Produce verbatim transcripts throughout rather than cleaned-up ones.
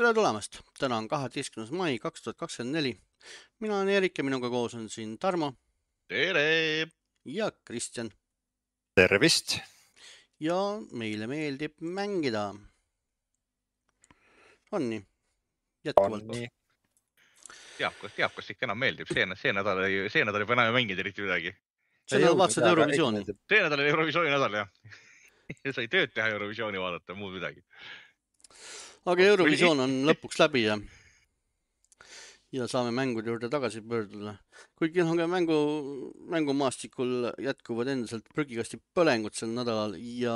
Tere tulemast! Täna on kaheteistkümnes mai kaks tuhat kakskümmend neli. Mina olen Erik ja minuga koos on siin Tarmo. Tere! Ja Kristjan. Tervist! Ja meile meeldib mängida. On nii? Jätkuvalt. On nii. Teab, kas, teab, kas ikka enam meeldib. See, see nädal ei, see nädal ei enam ei mängida eriti midagi. See nädal vaatasid Eurovisiooni. See nädal oli Eurovisiooni nädal, jah. Sai tööd teha Eurovisiooni vaadata, muud midagi. Aga Eurovisioon on lõpuks läbi ja, ja saame mängude juurde tagasi pöörduda. Kuigi on ka mängu, mängumaastikul jätkuvad endiselt prügikasti põlengud sel nädalal ja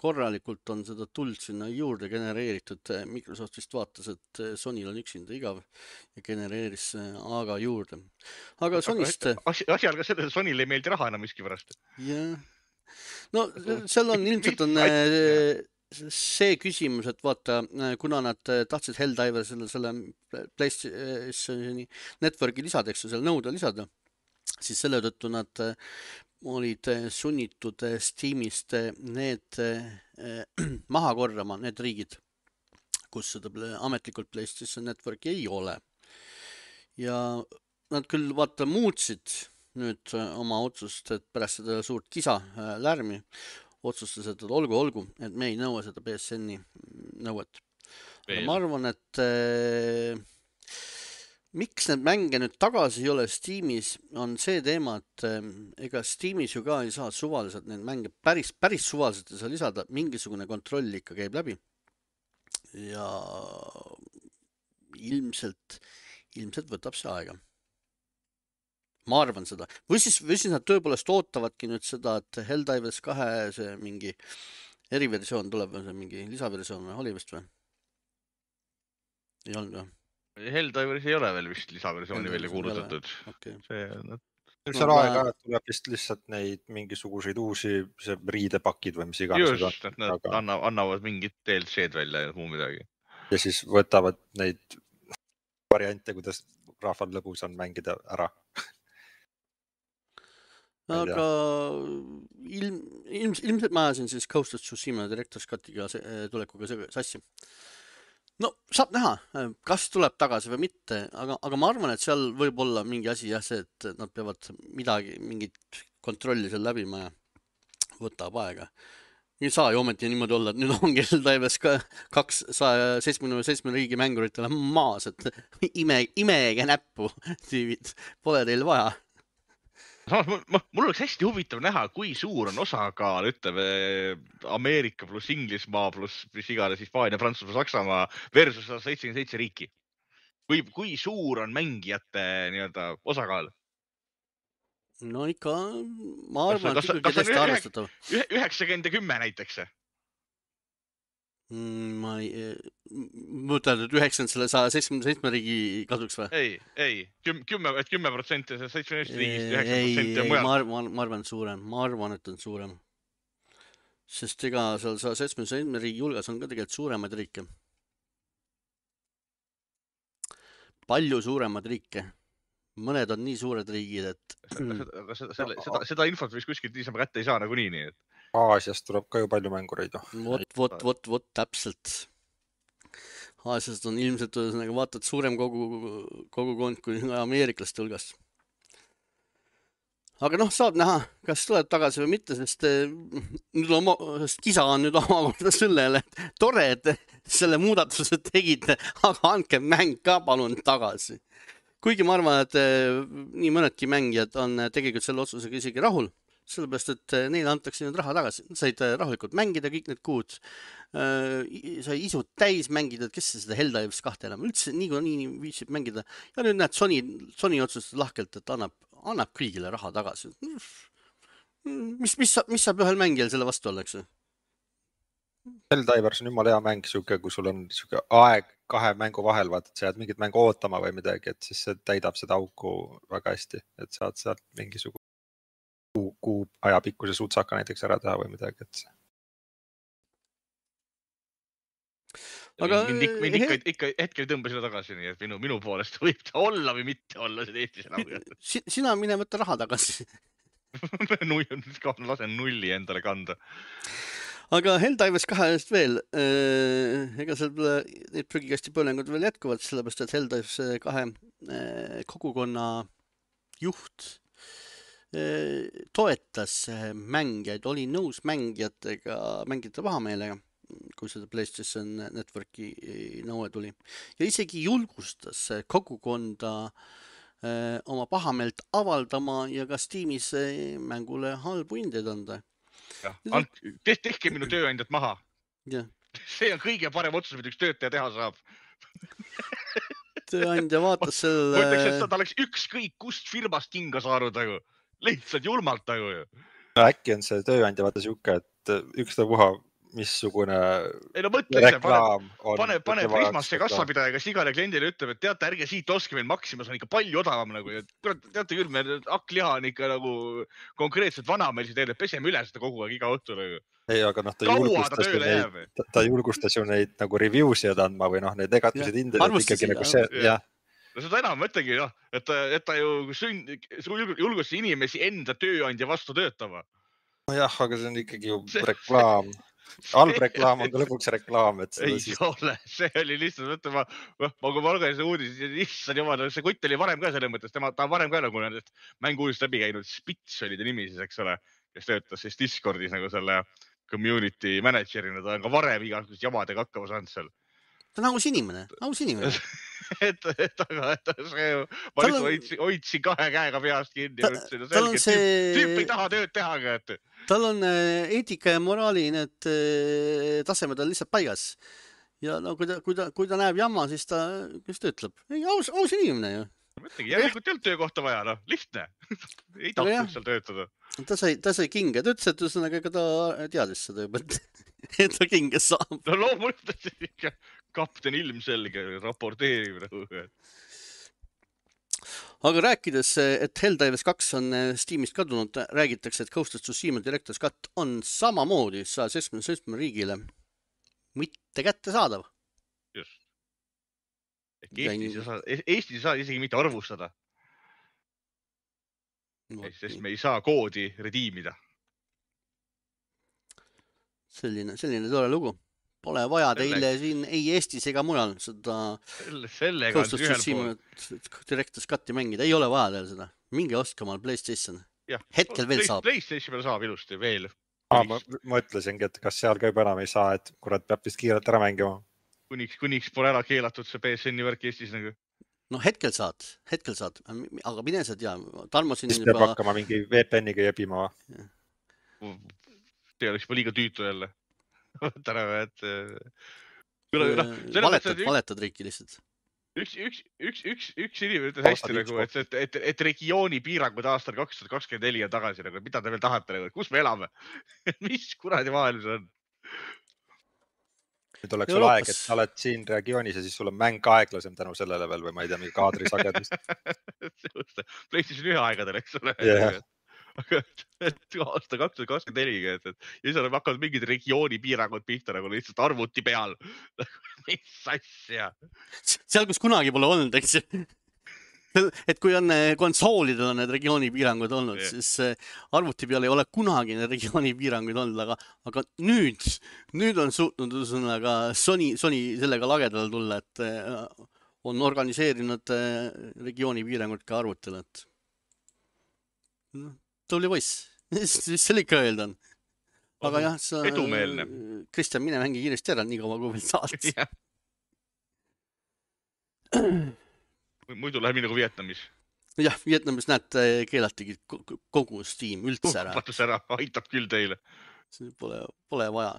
korralikult on seda tuld sinna juurde genereeritud. Microsoft vist vaatas, et Sonyl on üksinda igav ja genereeris aga juurde. Aga Sonyst... Asi, asi algas selles, et Sonyl ei meeldi raha enam miski pärast. Jah. No seal on ilmselt on see küsimus, et vaata, kuna nad tahtsid Helldiver selle, selle PlayStationi Networki lisadeks ja selle nõude lisada, siis selle tõttu nad olid sunnitud Steamist need maha korrama, need riigid, kus seda ametlikult PlayStation Networki ei ole. Ja nad küll vaata muutsid nüüd oma otsust, et pärast seda suurt kisa lärmi otsustas, et olgu, olgu, et me ei nõua seda P S N-i nõuet. Ma arvan, et äh, miks need mänge nüüd tagasi ei ole Steamis, on see teema, et äh, ega Steamis ju ka ei saa suvaliselt need mänge päris, päris suvaliselt ei saa lisada, mingisugune kontroll ikka käib läbi. Ja ilmselt, ilmselt võtab see aega. Ma arvan seda. Või siis, või siis nad tõepoolest ootavadki nüüd seda, et Helldivers kahe see mingi eriversioon tuleb, see mingi lisaversioon või oli vist või? Ei olnud või? Helldivers ei ole veel vist lisaversiooni välja kuulutatud. Okay. See, nad... Üks on aega, et tuleb vist lihtsalt neid mingisuguseid uusi see riidepakid või mis iganes. Just, et nad aga... annavad mingid D L C-d välja ja muu midagi. Ja siis võtavad neid variante, kuidas rahval lõbus on mängida ära. Aga ilm, ilm, ilmselt ma ajasin siis Ghost of Tsushima Director's Cutiga tulekuga sassi. No, saab näha, kas tuleb tagasi või mitte, aga, aga ma arvan, et seal võib olla mingi asi jah, see, et nad peavad midagi, mingit kontrolli seal läbima ja võtab aega. Ei saa ju ometi niimoodi olla, et nüüd ongi Helldivers ka kakssada seitsekümmend seitse riigi mänguritele maas, et ime, imege näppu, tüüvid, pole teil vaja. Samas, mul oleks hästi huvitav näha, kui suur on osakaal, ütleme, Ameerika pluss Inglismaa pluss mis igale Hispaania, Prantsusmaa, Saksamaa versus seitsekümmend seitse riiki. Kui, kui suur on mängijate nii-öelda osakaal? No ikka, ma arvan, et ikkagi tõesti arvestatav. üheksakümmend ja kümme näiteks? Ma ei, mõtled, et üheksakümmend selle saja seitsekümmend seitse riigi kasuks või? Ei, ei, kümme protsenti seitsekümmend riigist, üheksakümmend protsenti on mujal. Ma arvan, ma arvan, et suurem, ma arvan, et on suurem. Sest ega seal saja seitsekümmend seitse riigi hulgas on ka tegelikult suuremaid riike. Palju suuremad riike. Mõned on nii suured riigid, et... Aga seda, seda, seda, seda infot vist kuskilt niisama kätte ei saa nagu nii, nii, et... Aasiast tuleb ka ju palju mängureid. Vot, vot, vot, vot, täpselt. Aasiast on ilmselt, nagu vaatad, suurem kogu, kogukond kui ameeriklaste hulgast. Aga noh, saab näha, kas tuleb tagasi või mitte, sest, nüüd on, sest kisa on nüüd omakorda sellele, et tore, et selle muudatuse tegite, aga andke mäng ka palun tagasi. Kuigi ma arvan, et nii mõnedki mängijad on tegelikult selle otsusega isegi rahul. Sellepärast, et neile antakse nüüd raha tagasi. Said rahulikult mängida kõik need kuud. Sai isud täis mängida, kes seda Helldivers kahte enam üldse nii kui nii viitsib mängida. Ja nüüd näed Sony, Sony otsustas lahkelt, et annab, annab kõigile raha tagasi. Mis, mis, mis saab ühel mängijal selle vastu oleks? Helldivers on jumala hea mäng, suke, kui sul on suke aeg kahe mängu vahel, vaat, et sa jääd mingit mängu ootama või midagi, et siis see täidab seda auku väga hästi, et saad sealt mingisugune kuu, kuu ajapikkuse suutsaka näiteks ära teha või midagi, et see. Aga mind ikka, mind ikka, ikka hetkel tõmba seda tagasi, nii et minu, minu poolest võib ta olla või mitte olla see Eestis enam. Sina mine võtta raha tagasi. Lasen nulli endale kanda. Aga Helldivers kahest veel, ega seal need prügikasti põlengud veel jätkuvad, sellepärast et Helldivers kahe kogukonna juht toetas mängijaid, oli nõus mängijatega, mängijate pahameelega, kui seda PlayStation Networki nõue tuli. Ja isegi julgustas kogukonda oma pahameelt avaldama ja ka Steamis mängule halbu hindeid anda. Ja, tehke minu tööandjad maha. Ja. See on kõige parem otsus, mida üks töötaja teha saab. Tööandja vaatas selle... Ma ütleks, et ta oleks ükskõik kust firmast kinga saanud, aga lihtsalt julmalt nagu ju. No, äkki on see tööandja vaata siuke, et üks ta puha, missugune ei, no mõtle, reklaam on. Pane, pane Prismasse kassapidaja, kas igale kliendile ütleb, et teate, ärge siit oske meil Maximas on ikka palju odavam nagu. Ja teate küll, meil hakkliha on ikka nagu konkreetselt vana meil see teile, peseme üle seda kogu aeg iga õhtu. Nagu. Ei, aga noh, ta julgustas, ta, neid, ta, ta julgustas ju neid nagu review'sid andma või noh, neid negatiivseid hindeid, et ikkagi nagu see, jah. No seda enam mõtlegi, noh, et, et ta ju sünd, julgustas inimesi enda tööandja vastu töötama. No jah, aga see on ikkagi ju reklaam. Halb reklaam on ka lõpuks reklaam. Et ei siis... ole, see oli lihtsalt, mõtlema, ma kui ma lugesin uudis, issand jumal, see kutt oli varem ka selle mõttes, tema, ta varem ka nagu nendest mängu-uudist läbi käinud, Spits oli ta nimi siis, eks ole, kes töötas siis Discordis nagu selle community managerina, ta on ka varem igasugust jamadega hakkama saanud seal. Ta on aus inimene, aus inimene. et, et, aga et see, ma nüüd on... hoidsin kahe käega peast kinni ja ütlesin, no selge, see... tüüp ei taha tööd teha. Et... Tal on eetika ja moraali need tasemed on lihtsalt paigas. Ja no, kui, ta, kui, ta, kui ta näeb jamma, siis ta, kes ta ütleb? Ei, aus, aus inimene ju. Mõtlegi, järelikult ei olnud töökohta vaja, no, lihtne. ei tahtnud seal töötada. Ta sai, ta sai kinga, ta ütles, et üsõnaga ka ta teadis seda juba, et ta kinga saab. No loomulikult ikka kapten ilmselge raporteerib. Aga rääkides, et Helldivers kaks on Steamist kadunud, räägitakse, et Ghost of Tsushima Director's Cut on samamoodi saja seitsmekümne seitsme riigile mitte kätte saadav. Just. Eestis ei saa, Eestis ei saa isegi mitte arvustada. No, sest me ei saa koodi rediimida. Selline, selline tore lugu. Pole vaja teile Selle... siin ei Eestis ega mujal seda Selle, Ghost of Tsushima Director's Cut'i mängida. Ei ole vaja teil seda. Minge ostke omal PlayStation. Ja, hetkel veel saab. PlayStation saab ilusti veel. Ah, ma, ma ütlesingi, et kas seal ka juba enam ei saa, et kurat peab vist kiirelt ära mängima. Kuniks, kuniks pole ära keelatud see P S N-i värk Eestis nagu. No hetkel saad, hetkel saad, aga mine sa tea, Tarmo siin siis peab juba... hakkama mingi V P N-iga jebima. See oleks juba liiga tüütu jälle. Täna, et... Valetad, valetad riiki lihtsalt. Üks, üks, üks, üks, üks inimene ütles hästi nagu, et, et, et, et regiooni piirangud aastal kaks tuhat kakskümmend neli on tagasi, nagu, mida te veel tahate, nagu, kus me elame? Mis kuradi maailm see on? Nüüd oleks sul aeg, et sa oled siin regioonis ja siis sul on mäng aeglasem tänu sellele veel või ma ei tea, mingi kaadrisagedust. PlayStation ühe aegadel, eks ole. Yeah. Aga aasta kaks tuhat kakskümmend neli, et, et ja siis on hakkanud mingid regiooni piirangud pihta nagu lihtsalt arvuti peal. Mis asja? Seal, kus kunagi pole olnud, eks ju. Et kui on konsoolidel on need regiooni piirangud olnud, yeah. siis arvuti peal ei ole kunagi need regiooni piirangud olnud, aga, aga nüüd, nüüd on suutnud üsõnaga Sony, Sony sellega lagedale tulla, et on organiseerinud regiooni piirangud ka arvutil, et tuli poiss, mis selle ikka öelda on. Aga jah, sa, edumeelne. Kristjan, mine mängi kiiresti ära, nii kaua kui veel saad. Yeah. Muidu läheb nii nagu Vietnamis. Jah, Vietnamis näed, keelatigi kogu Steam üldse ära. Patus ära, aitab küll teile. See pole, pole vaja.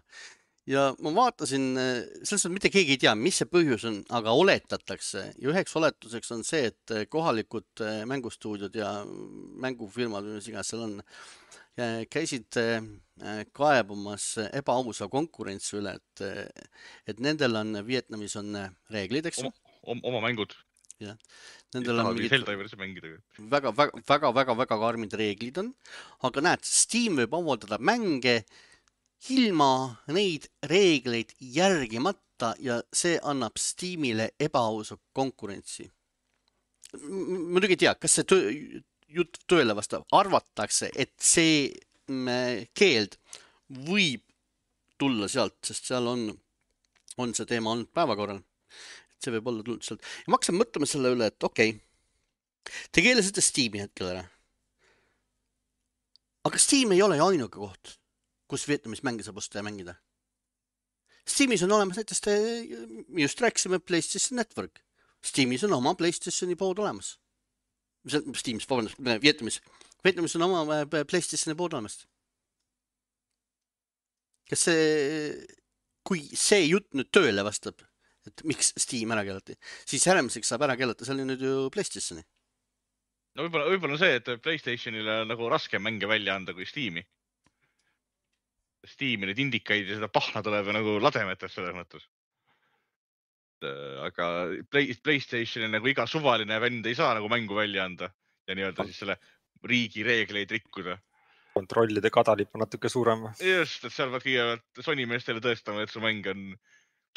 Ja ma vaatasin, selles on mitte keegi ei tea, mis see põhjus on, aga oletatakse. Ja üheks oletuseks on see, et kohalikud mängustuudiod ja mängufirmad, mis iganes seal on, käisid kaebumas ebaausa konkurentsi üle, et, et nendel on, Vietnamis on reeglid, eks? Oma, oma mängud. Ja. Nendel on mingid väga, väga, väga, väga, väga karmid reeglid on, aga näed, Steam võib avaldada mänge ilma neid reegleid järgimata ja see annab Steamile ebaausa konkurentsi. Muidugi ei tea, kas see töö, jutt tööle vastab, arvatakse, et see keeld võib tulla sealt, sest seal on, on see teema olnud päevakorral. See võib olla tulnud sealt. Ja ma hakkasin mõtlema selle üle, et okei, okay, te keelasite Steam'i hetkel ära. Aga Steam ei ole ju ainuke koht, kus Vietnamis mänge saab osta ja mängida. Steamis on olemas näiteks, te just rääkisime PlayStation Network. Steamis on oma PlayStationi pood olemas. Steamis, vabandust, Vietnamis. Vietnamis on oma PlayStationi pood olemas. Kas see, kui see jutt nüüd tööle vastab, et miks Steam ära keelati, siis järgmiseks saab ära keelata, see oli nüüd ju PlayStationi. No võib-olla, võib-olla see, et PlayStationile on nagu raske mänge välja anda kui Steam'i. Steam'i need indikaid ja seda pahna tuleb nagu lademetest selles mõttes. Aga Play, PlayStationil nagu iga suvaline vend ei saa nagu mängu välja anda ja nii-öelda siis selle riigi reegleid rikkuda. Kontrollide kadalip on natuke suurem. Just, et seal pead kõigepealt Sony meestele tõestama, et su mäng on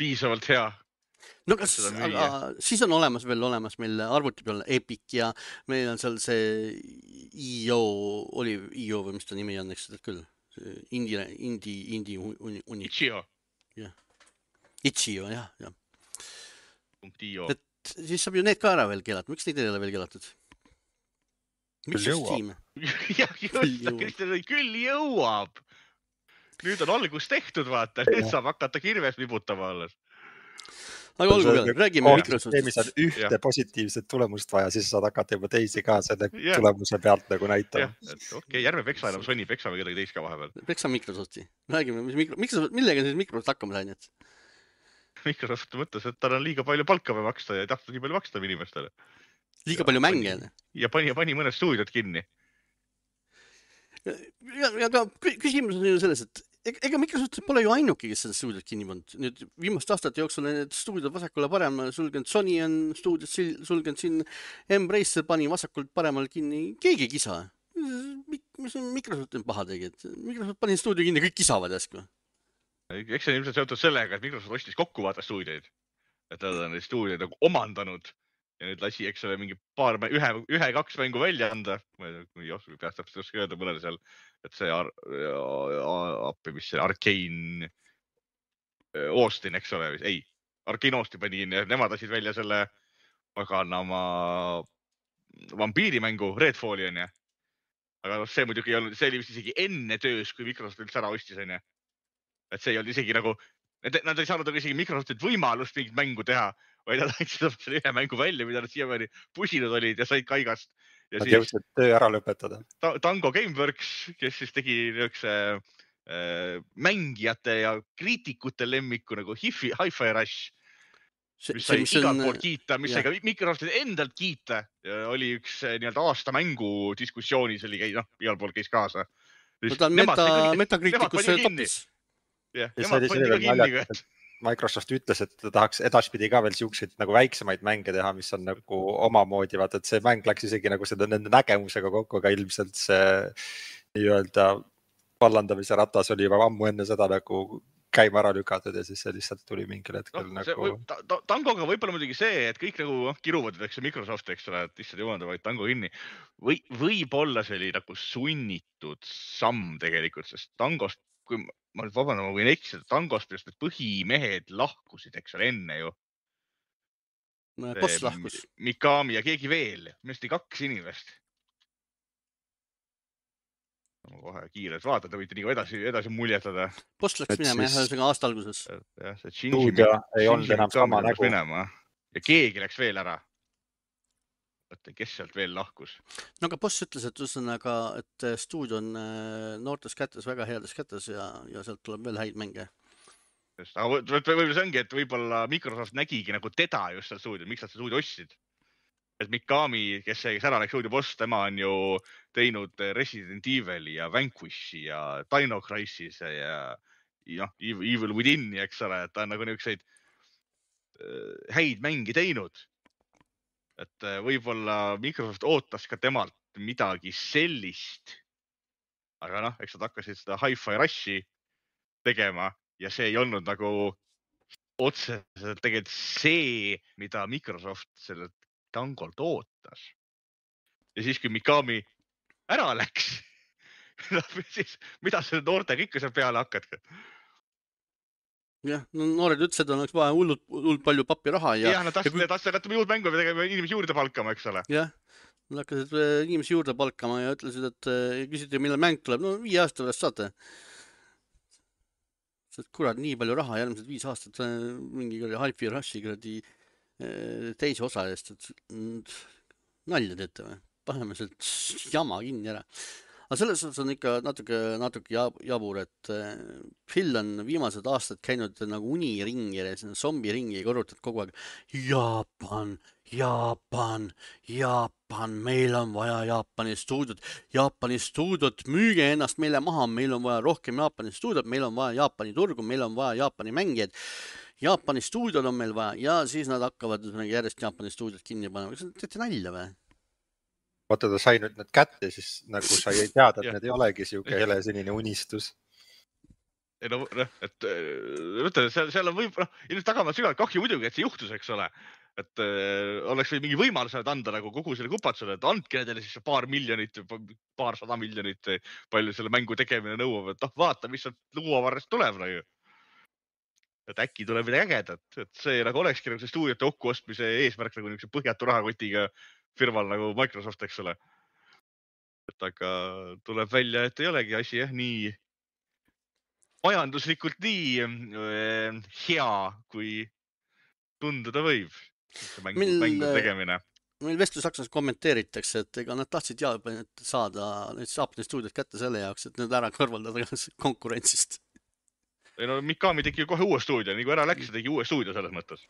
piisavalt hea. No kas, aga siis on olemas veel olemas meil arvuti peal Epic ja meil on seal see I O, oli I O või mis ta nimi on, eks seda küll. Indie, indie, indie uni. Itch.io. Jah. Itch.io, jah, jah. .io. Et siis saab ju need ka ära veel keelata. Miks neid ei ole veel keelatud? Miks Küll Steam? Jah, just, Kristjan, küll jõuab. Nüüd on algus tehtud, vaata. Nüüd saab hakata kirves vibutama alles. Aga olgu peal, räägime Microsoftist. On ühte ja. Positiivset tulemust vaja, siis saad hakata juba teisi ka selle ja. Tulemuse pealt nagu näitama. Okei, okay, järve peksa enam Sony, peksa või kedagi teist ka vahepeal. Peksa Microsofti. Räägime, mis mikro... Microsoft, millega siis Microsoft hakkama sai nüüd? Microsoft mõtles, et tal on liiga palju palka või maksta ja ei tahtnud nii palju maksta inimestele. Liiga ja, palju mänge. Pani, ja pani, pani mõned stuudiod kinni. Ja, ja, ja ka küsimus on ju selles, et ega Microsoft pole ju ainuke, kes seda stuudiot kinni pannud. Nüüd viimaste aastate jooksul on need stuudiod vasakule parem sulgenud. Sony on stuudiot sulgenud siin. Embracer pani vasakult paremal kinni. Keegi ei kisa. Mis on Microsoft paha tegi? Microsoft pani stuudio kinni, kõik kisavad jäsku. Eks see on ilmselt seotud sellega, et Microsoft ostis kokku vaata stuudioid. Et nad on neid stuudioid nagu omandanud. Ja nüüd lasi, eks ole, mingi paar, ühe, ühe, kaks mängu välja anda. Ma ei oska, peast täpselt oska öelda mõnele seal, et see ar, appi, mis see Arcane Austin, eks ole, ei, Arcane Austin pani kinni ja nemad lasid välja selle paganama vampiirimängu Redfalli on ja. Aga see muidugi ei olnud, see oli vist isegi enne töös, kui Microsoft üldse ära ostis on ja. Et see ei olnud isegi nagu, nad ei saanud isegi Microsoftilt võimalust mingit mängu teha, vaid nad andsid selle ühe mängu välja, mida nad siiamaani pusinud olid ja said kaigast. Ja nad jõudsid töö ära lõpetada. Tango Gameworks, kes siis tegi niisuguse äh, mängijate ja kriitikute lemmiku nagu Hi-Fi, Hi-Fi Rush, see, mis sai igalt on... poolt kiita, mis sai ka Microsoftit endalt kiita. Ja oli üks nii-öelda aasta mängu diskussioonis, oli käi, noh, igalt poolt käis kaasa. No ta on meta, metakriitikus topis. Ja, nemad pandi ka kinni. Microsoft ütles, et ta tahaks edaspidi ka veel siukseid nagu väiksemaid mänge teha, mis on nagu omamoodi, vaata, et see mäng läks isegi nagu seda nende nägemusega kokku, aga ilmselt see nii-öelda vallandamise ratas oli juba ammu enne seda nagu käima ära lükatud ja siis see lihtsalt tuli mingil hetkel no, nagu... Võib, ta, ta, Tangoga võib-olla muidugi see, et kõik nagu kiruvad, eks Microsoft, eks ole, et issand jumanda, vaid Tango kinni. Või, võib-olla see oli nagu sunnitud samm tegelikult, sest Tangost, kui ma nüüd vabandan, ma võin eksida, Tangost just need põhimehed lahkusid, eks ole, enne ju. Boss lahkus. Mikami ja keegi veel, mest ei kaks inimest. Ma kohe kiirelt vaatan, te võite nii edasi, edasi muljetada. Boss läks minema jah, ühesõnaga aasta alguses. Ja, see Shinji, ei olnud enam sama nägu. Minema. Ja keegi läks veel ära. Võtta, kes sealt veel lahkus? No aga Boss ütles, et, üsõnaga, et stuudio on noortes kätes, väga heades kätes ja, ja sealt tuleb veel häid mänge. Just, aga võib-olla see ongi, et võib-olla Microsoft nägigi nagu teda just seal stuudio, miks nad stuudio ostsid. Et Mikami, kes see, kes ära läks stuudio Boss, tema on ju teinud Resident Evil ja Vanquishi ja Dino Crisis ja noh, Evil Within, eks ole, et ta on nagu niisuguseid häid mängi teinud. Et võib-olla Microsoft ootas ka temalt midagi sellist. Aga noh, eks nad hakkasid seda Hi-Fi Rushi tegema ja see ei olnud nagu otseselt tegelikult see, mida Microsoft sellelt Tangolt ootas. Ja siis, kui Mikami ära läks, siis mida selle noortega ikka seal peale hakkad? jah, no noored ütlesid, et oleks vaja hullult, hullult palju papiraha ja jah, nad tahtsid, kui... tahtsid jätta juurde mängu ja tegema inimesi juurde palkama, eks ole. jah, nad hakkasid inimesi juurde palkama ja ütlesid, et küsiti, millal mäng tuleb. No viie aasta pärast saate. Sest kurat, nii palju raha järgmised viis aastat mingi Hi-Fi Rushi kuradi teise osa eest, et nalja teete või? Paneme sealt jama kinni ära. Aga selles suhtes on ikka natuke, natuke jabur, et Phil on viimased aastad käinud nagu uniringi ja zombiringi ja korrutad kogu aeg Jaapan, Jaapan, Jaapan, meil on vaja Jaapani stuudiot, Jaapani stuudiot, müüge ennast meile maha, meil on vaja rohkem Jaapani stuudiot, meil on vaja Jaapani turgu, meil on vaja Jaapani mängijaid, Jaapani stuudiot on meil vaja ja siis nad hakkavad järjest Jaapani stuudiot kinni panema. Kas teete nalja või? Vaata, ta sai nüüd need kätte, siis nagu sa ei teada, et need ei olegi siuke helesinine unistus. Ei no, et võtta, seal, seal on võib, noh, ilmselt tagama sügavalt kahju muidugi, et see juhtus, eks ole. Et äh, oleks või mingi võimalus anda nagu kogu selle kupatsule, et andke nendele siis paar miljonit, paar sada miljonit, palju selle mängu tegemine nõuab, et noh, vaata, mis sealt luuavarrest tuleb nagu. Et äkki tuleb midagi ägedat, et see nagu olekski nagu see stuudiote kokkuostmise eesmärk nagu niisuguse põhjatu rahakotiga firmal nagu Microsoft, eks ole. Et aga tuleb välja, et ei olegi asi jah, nii majanduslikult nii äh, hea, kui tunduda võib. Mängu, meil, mängu tegemine. Meil Vestlus-Saksas kommenteeritakse, et ega nad tahtsid Jaapanit saada need Jaapani stuudiot kätte selle jaoks, et need ära kõrvaldada konkurentsist. Ei no Mikami tegi kohe uue stuudio, nii kui ära läks, tegi uue stuudio selles mõttes.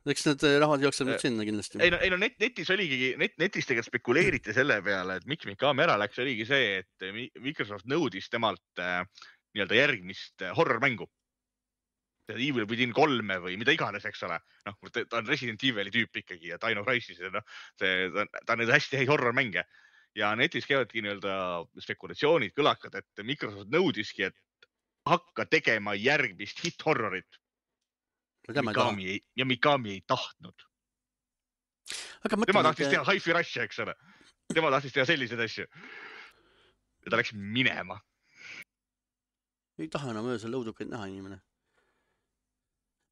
Eks need rahad jookseb nüüd sinna kindlasti. Ei no, ei no net, netis oligi, net, netis tegelikult spekuleeriti selle peale, et miks Mikami ära läks, oligi see, et Microsoft nõudis temalt äh, nii-öelda järgmist äh, horror-mängu. Evil Within kolme või mida iganes, eks ole. Noh, ta on Resident Evil'i tüüp ikkagi ja Dino Crisis, no, see, ta, ta on need hästi häid horror-mänge. Ja netis käivadki nii-öelda spekulatsioonid, kõlakad, et Microsoft nõudiski, et hakka tegema järgmist hit-horrorit. Mikami ei, ja Mikami ei tahtnud. Aga tema tahtis teha Hi-Fi Rushi, eks ole. Tema tahtis teha selliseid asju. Ja ta läks minema. Ei taha enam öösel õudukaid näha inimene.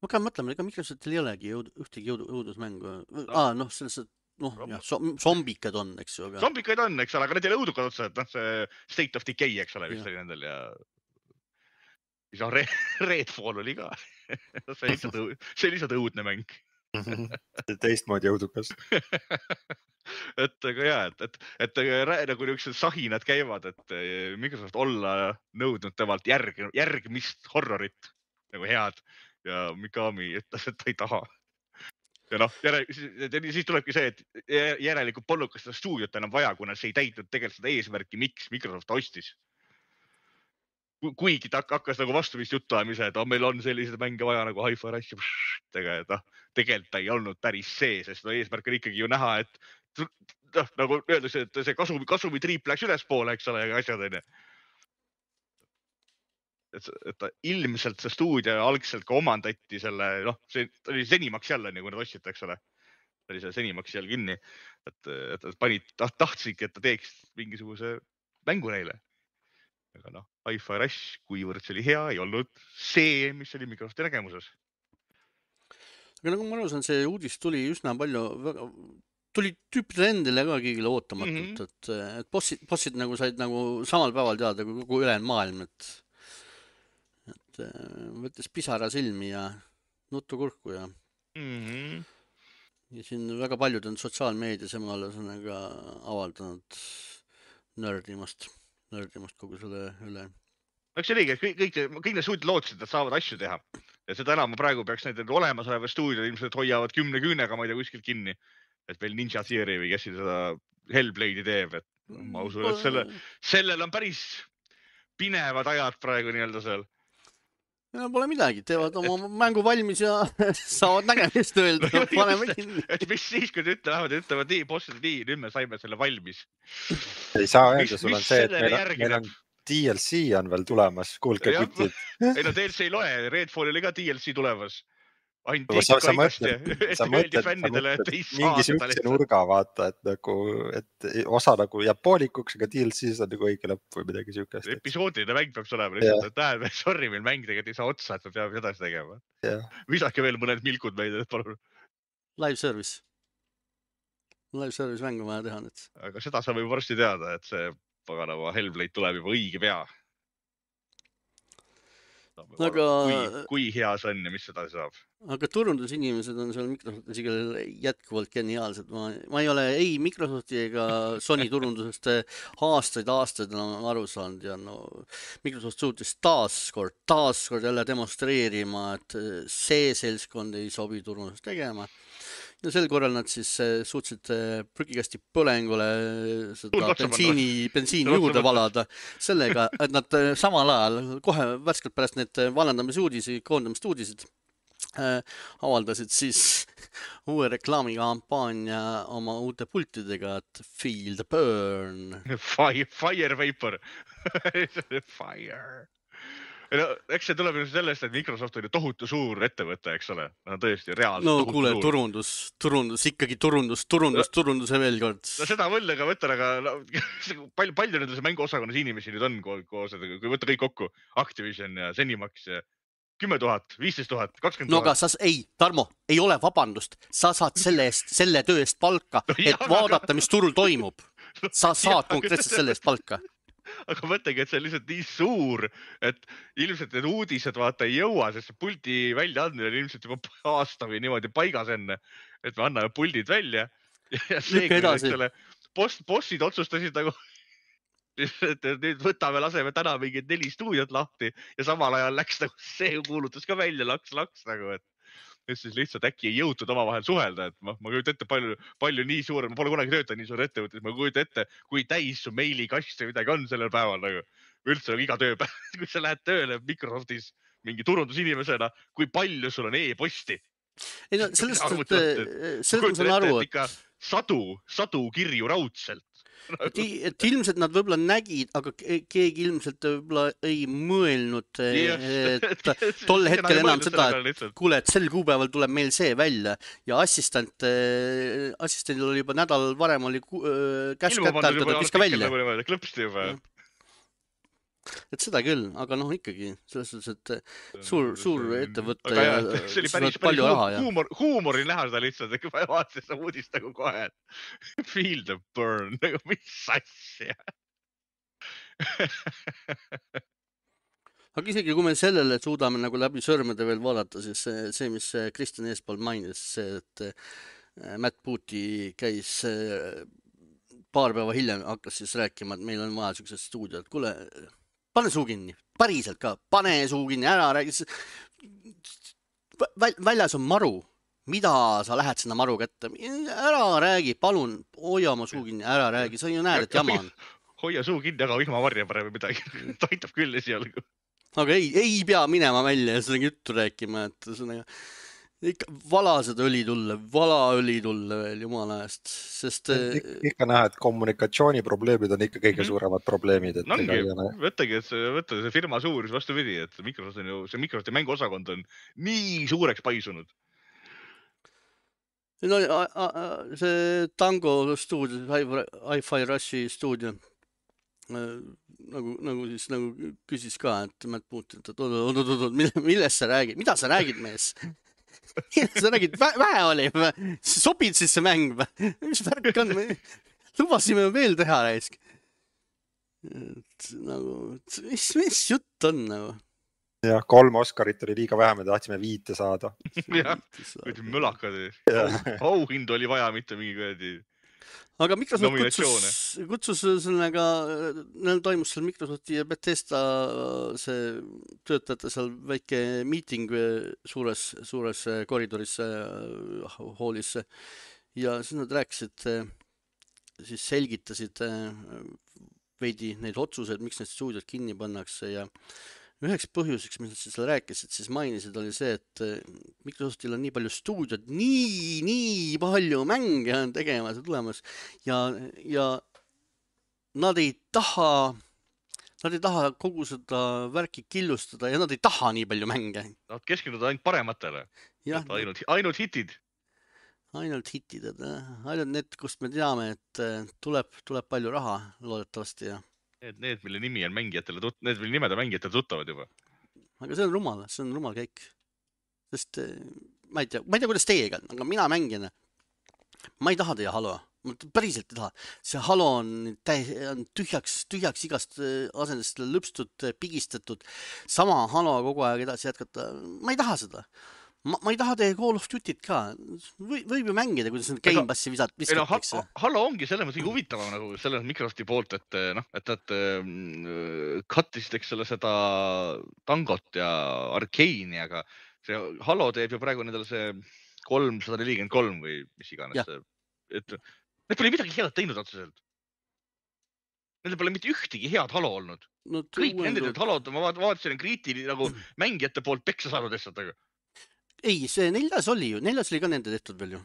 Ma ka mõtlema, ega Microsoftil ei olegi jõud, ühtegi jõud, õudusmängu. Aa, noh, selles, noh, jah, zombikad on, eks ju. Aga... Zombikad on, eks ole, aga need ei ole õudukad otsa, et noh, see State of Decay, eks ole, vist oli nendel ja... Siis on Redfall oli ka. see oli lihtsalt õudne mäng. Teistmoodi õudukas. et aga jah, et, et, et nagu niisugused sahinad käivad, et Microsoft olla nõudnud temalt järg, järgmist horrorit nagu head ja Mikami ütles, et ta ei taha. Ja noh, järel, siis tulebki see, et järelikult polnud ka seda stuudiot enam vaja, kuna see ei täitnud tegelikult seda eesmärki, miks Microsoft ostis. Kuigi ta hakkas nagu vastuvist juttu ajamise, et oh, meil on sellised mänge vaja nagu Hi-Fi Rush ja noh, tegelikult ta ei olnud päris see, sest no, eesmärk on ikkagi ju näha, et noh, nagu öeldakse, et see kasumi, kasumi triip läks ülespoole, eks ole, ja asjad on. Et, et ta ilmselt see stuudio algselt ka omandati selle, noh, see oli Zenimax jälle, nagu nad ostsid, eks ole. Ta oli see Zenimax jälle kinni, et, et panid, tahtsidki, et ta teeks mingisuguse mängu neile. Aga noh, Hi-Fi Rush, kuivõrd see oli hea, ei olnud see, mis oli Microsofti nägemuses. Aga nagu ma arusan, see uudis tuli üsna palju, väga, tuli tüüpidele endile ka kõigile ootamatult, mm -hmm. et, et bossid, bossid nagu said nagu samal päeval teada kui kogu ülejäänud maailm, et, et võttes pisara silmi ja nuttu kurku ja mm -hmm. ja siin väga paljud on sotsiaalmeedias emal sõnaga avaldanud nördimast. nördimast kogu selle üle. Eks see oligi, et kõik, kõik, kõik need stuudiod lootsid, et nad saavad asju teha. Ja seda enam ma praegu peaks need olemasoleva stuudiod ilmselt hoiavad kümne küünega, ma ei tea, kuskilt kinni. Et veel Ninja Theory või kes seda Hellblade'i teeb. Et ma usun, et selle, sellel on päris pinevad ajad praegu nii-öelda seal. Ja pole midagi, teevad oma et... mängu valmis ja saavad nägemist öelda. Paneme kinni. Et mis siis, kui te ütlevad, ütlevad nii, bossid, nii, nüüd me saime selle valmis. Ei saa öelda, sul on see, et meil on, meil on D L C on veel tulemas, kuulke kutid. Ei no D L C ei loe, Redfall oli ka D L C tulemas. ainult sa, tehti sa kaigast ja mõtled, sa öeldi mõtled, sa fännidele, et mõtled ei saa mingi seda siukse lihtsalt. nurga vaata, et nagu, et osa nagu jääb poolikuks, aga D L C-s on nagu õige lõpp või midagi siukest. Episoodiline mäng peab olema lihtsalt, et näed, sorry, meil mäng tegelikult ei saa otsa, et me peame edasi tegema. Yeah. Visake veel mõned milkud meid, et palun. Live service. Live service mängu vaja teha nüüd. Aga seda saab juba varsti teada, et see paganava Hellblade tuleb juba õige pea. Aga... Kui, kui hea see on ja mis seda saab. Aga turundusinimesed on seal Microsoftis jätkuvalt geniaalsed. Ma, ma ei ole ei Microsofti ega Sony turundusest aastaid, aastaid on aru saanud ja no, Microsoft suutis taaskord, taaskord jälle demonstreerima, et see seltskond ei sobi turundust tegema. Ja sel korral nad siis suutsid prügikasti põlengule seda bensiini, bensiini juurde valada sellega, et nad samal ajal kohe värskelt pärast need vallandamisuudisi, koondamist uudisid äh, avaldasid siis uue reklaamikampaania oma uute pultidega, et feel the burn. Fire, fire vapor. Fire. No, eks see tuleb sellest, et Microsoft on ju tohutu suur ettevõte, eks ole. No tõesti, reaalselt no, tohutu kuule, suur. turundus, turundus, ikkagi turundus, turundus, no, turunduse veel kord. No seda võll, aga võtta, aga no, palju, palju nendel mänguosakonnas inimesi nüüd on koos, kui võtta kõik kokku, Activision ja Zenimax ja kümme tuhat, viisteist tuhat, kakskümmend tuhat. No aga sa, ei, Tarmo, ei ole vabandust. Sa saad selle eest, selle töö eest palka, no, et jah, vaadata, mis turul toimub. Sa saad konkreetselt selle eest palka. Aga mõtlegi, et see on lihtsalt nii suur, et ilmselt need uudised vaata ei jõua, sest see puldi välja andmine on ilmselt juba aasta või niimoodi paigas enne, et me anname puldid välja. Ja see, kui post, bossid otsustasid nagu, et nüüd võtame, laseme täna mingid neli stuudiot lahti ja samal ajal läks nagu see kuulutus ka välja, laks, laks nagu, et et siis lihtsalt äkki ei jõutud oma vahel suhelda, et ma, ma kujutan ette palju, palju nii suur, ma pole kunagi töötanud nii suur ettevõttes, ma kujutan ette, kui täis su meilikast või midagi on sellel päeval nagu, üldse nagu iga tööpäev, kui sa lähed tööle Microsoftis mingi turundusinimesena, kui palju sul on e-posti. Ei no sellest, et, sellest ma saan aru, et ikka sadu, sadu kirju raudselt. Et, et ilmselt nad võib-olla nägid, aga keegi ilmselt võib-olla ei mõelnud, et tol hetkel enam seda, et kuule, et sel kuupäeval tuleb meil see välja ja assistent, assistendil oli juba nädal varem oli käsk kätte antud, et viska välja. Klõpsti juba. Et seda küll, aga noh ikkagi selles suhtes, et suur, suur ettevõtte ja see oli päris, palju raha. Huumor, huumori näha seda lihtsalt, et kui ma vaatasin seda uudist nagu kohe, et feel the burn, nagu mis asja. Aga isegi kui me sellele suudame nagu läbi sõrmede veel vaadata, siis see, see mis Kristjan eespool mainis, see, et Matt Booty käis paar päeva hiljem, hakkas siis rääkima, et meil on vaja sellised stuudiod, kuule, pane suu kinni, päriselt ka, pane suu kinni, ära räägi. Väljas on maru, mida sa lähed sinna maru kätte, ära räägi, palun, hoia oma suu kinni, ära räägi, sa ju näed, et jama on. Hoia suu kinni, aga vihma varja parem midagi, taitab küll esialgu. Aga ei, ei pea minema välja ja seda juttu rääkima, et seda ikka vala seda õli tulle, vala õli tulle veel jumala eest, sest Ik ikka näha, et kommunikatsiooniprobleemid on ikka kõige suuremad probleemid. Et no ongi, võttagi, et see, võtta see firma suurus vastu vidi, et Microsoft on ju, see Microsofti mänguosakond on nii suureks paisunud. No, see Tango stuudio, Hi-Fi Rushi stuudio, nagu, nagu siis nagu küsis ka, et Matt Booty, et oot, oot, oot, millest sa räägid, mida sa räägid mees? Sa räägid, vähe oli, sobid siis see mäng, mis värk on, lubasime veel teha reisk. Nagu, mis, mis jutt on nagu? Jah, kolm Oscarit oli liiga vähe, me tahtsime viite saada. Jah, kui mölakad, auhind oli vaja, mitte mingi kõedi. Aga Microsoft kutsus, kutsus sellega, neil toimus seal Microsofti ja Bethesda see töötajate seal väike meeting suures, suures koridoris hoolisse ja siis nad rääkisid, siis selgitasid veidi neid otsuseid, miks need stuudiod kinni pannakse ja üheks põhjuseks, mis nad siis rääkisid, siis mainisid, oli see, et Microsoftil on nii palju stuudiod, nii, nii palju mänge on tegemas ja tulemas ja, ja nad ei taha, nad ei taha kogu seda värki killustada ja nad ei taha nii palju mänge. Nad keskenduvad ainult parematele. jah, ainult, ainult hitid. ainult hitid, et ainult need, kust me teame, et tuleb, tuleb palju raha loodetavasti ja Need, need, mille nimi on mängijatele tut-, need, mille nimed on mängijatele tuttavad juba. aga see on rumal, see on rumal käik. Sest ma ei tea, ma ei tea, kuidas teiega, aga mina mängin. Ma ei taha teie Halo. Ma päriselt ei taha. See Halo on, täis, on tühjaks, tühjaks igast asendest lõpstud, pigistatud. Sama Halo kogu aeg edasi jätkata. Ma ei taha seda. Ma, ma ei taha teie Call of Duty't ka. Või, võib ju mängida, kuidas need Game Passi visat viskatakse. No, Halo ongi selles mõttes huvitavam nagu selles Microsofti poolt, et noh, et nad kattisid eks selle seda Tangot ja Arkeeni, aga see Halo teeb ju praegu nendele see kolmsada nelikümmend kolm või mis iganes. Et need pole midagi head teinud otseselt. Nendel pole mitte ühtegi head Halo olnud. No, kõik nendel Halod, ma vaatasin kriitili nagu mängijate poolt peksa saanud lihtsalt. Ei, see neljas oli ju, neljas oli ka nende tehtud veel ju.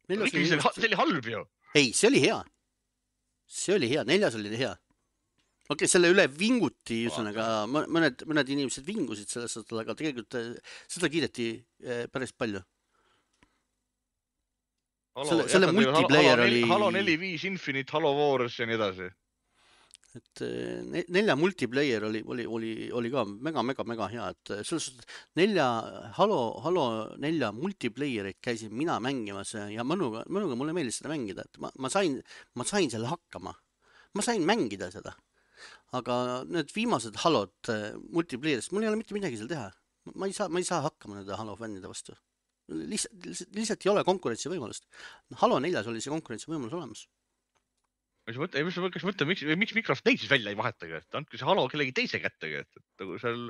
Oli, see, oli, see oli halb ju. Ei, see oli hea. See oli hea, neljas oli hea. Okei, okay, selle üle vinguti, üsõnaga, mõned, mõned inimesed vingusid selles, aga tegelikult seda kiideti päris palju. Halo, selle selle multiplayer Halo, oli... Halo neli viis Infinite, Halo Wars ja nii edasi. Et nelja multiplayer oli, oli, oli, oli ka mega, mega, mega hea, et selles nelja, Halo, Halo nelja multiplayerit käisin mina mängimas ja mõnuga, mõnuga mulle meeldis seda mängida, et ma, ma sain, ma sain selle hakkama. Ma sain mängida seda, aga need viimased Halod multiplayerist, mul ei ole mitte midagi seal teha. Ma ei saa, ma ei saa hakkama nende Halo fännide vastu. Lihtsalt, lihtsalt, lihtsalt ei ole konkurentsi võimalust. Halo neljas oli see konkurentsi võimalus olemas. Kas mõtle, kas mõtle, miks, miks Microsoft neid siis välja ei vahetagi, et andke see Halo kellegi teise kättegi, et, et nagu seal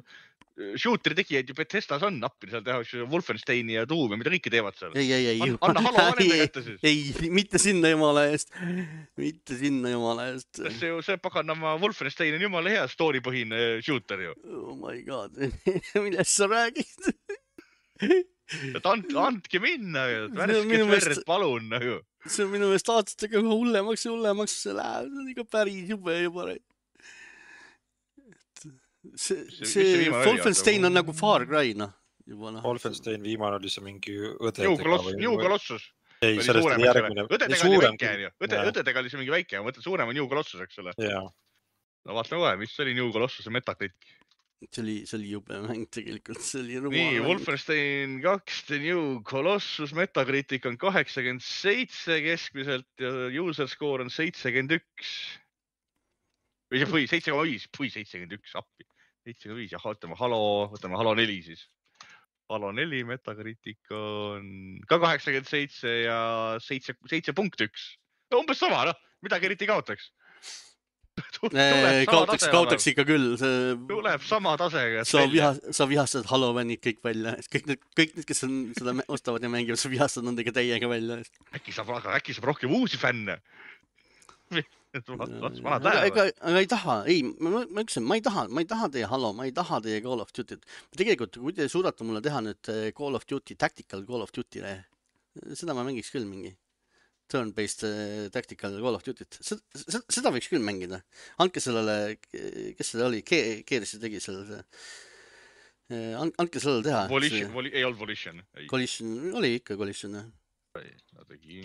shooteri tegijaid ju Bethesdas on nappi, seal tehakse Wolfensteini ja Doom ja mida kõike teevad seal. Ei, ei, ei. Anna Halo vanemne kätte siis. Ei, mitte sinna jumala eest. Mitte sinna jumala eest. See, see paganama Wolfenstein on jumala hea story-põhine shooter ju. Oh my god, millest sa räägid? Et and, andke minna, värsked verd, palun nagu. See on minu meelest aastatega hullemaks ja hullemaks see läheb, see on ikka päris jube juba. See, see Wolfenstein on nagu Far Cry, noh. Wolfenstein viimane oli see mingi õdedega. New Colossus. Ei, sellest oli järgmine. Õdedega oli väike, ju. Õdedega oli see mingi väike, ma mõtlen suurem on New Colossus, eks ole. No vaatame kohe, mis oli New Colossus ja Metacritic. See oli, see oli jube mäng tegelikult, see oli rumal. Nii, Wolfenstein kaks, The New Colossus, Metacritic on kaheksakümmend seitse keskmiselt ja user score on seitsekümmend üks. Või seitse koma viis, või seitsekümmend üks appi. seitse koma viis ja võtame Halo, võtame Halo neli siis. Halo neli, Metacritic on ka kaheksakümmend seitse ja seitse punkt üks. No umbes sama, noh, midagi eriti kaotaks. Kaotaks, kaotaks ikka küll. Tuleb sama tasega. Sa, viha, sa vihastad Halo vennid kõik välja. Kõik need, kõik need, kes on seda ostavad ja mängivad, sa vihastad nendega täiega välja. Äkki saab, äkki saab rohkem uusi fänne. Aga, aga, aga ei taha, ei, ma, ma ütlesin, ma ei taha, ma ei taha teie Halo, ma ei taha teie Call of Duty. Tegelikult, kui te suudate mulle teha nüüd Call of Duty, tactical Call of Duty, seda ma mängiks küll mingi. Turn-based uh, tactical Call of Duty't. Seda, seda võiks küll mängida. Andke sellele, kes seda oli, Keerisi tegi selle. Andke sellele teha. Volition, voli, ei olnud Volition. Collision, oli ikka Collision. Ta tegi...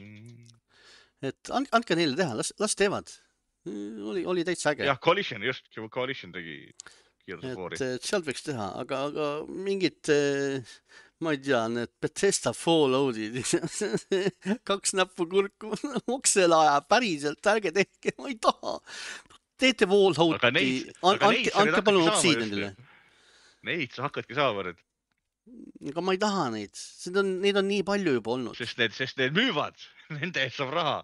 Et and, andke neile teha, las, las teevad. Oli, oli täitsa äge. Jah, Collision, just, Collision tegi kiirusfoori. Et, et sealt võiks teha, aga, aga mingid... Ma ei tea, need Bethesda Falloutid, kaks näppu kurku, oksela aja, päriselt, ärge tehke, ma ei taha. Teete Fallouti, andke, andke palun Obsidianile. Neid sa hakkadki saama nüüd. Aga ma ei taha neid, Sest on, neid on nii palju juba olnud. Sest need, sest need müüvad, nende eest saab raha.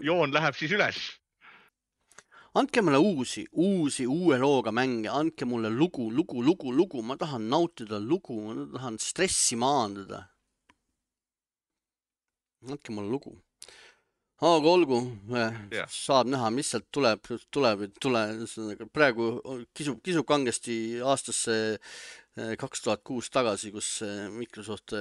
Joon läheb siis üles. Andke mulle uusi, uusi, uue looga mänge, andke mulle lugu, lugu, lugu, lugu, ma tahan nautida lugu, ma tahan stressi maandada. Andke mulle lugu. Aga olgu, saab näha, mis sealt tuleb, tuleb, tuleb, praegu kisub, kisub kangesti aastasse kaks tuhat kuus tagasi, kus Microsoft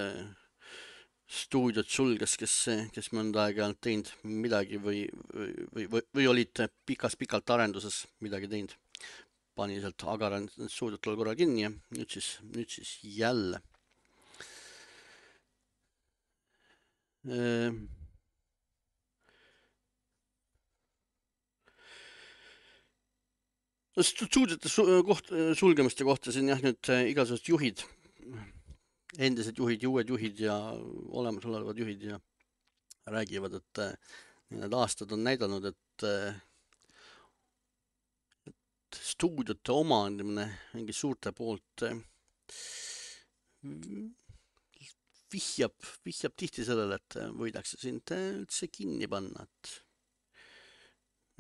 stuudiot sulges, kes, kes mõnda aega on teinud midagi või, või, või, või olid pikas-pikalt arenduses midagi teinud. Pani sealt Agaran stuudiot tol korral kinni ja nüüd siis, nüüd siis jälle. stuudiote koht, sulgemiste kohta siin jah, nüüd igasugused juhid, endised juhid ja uued juhid ja olemasolevad juhid ja räägivad, et need aastad on näidanud, et, et stuudiote omandamine mingi suurte poolt vihjab, vihjab tihti sellele, et võidakse sind üldse kinni panna, et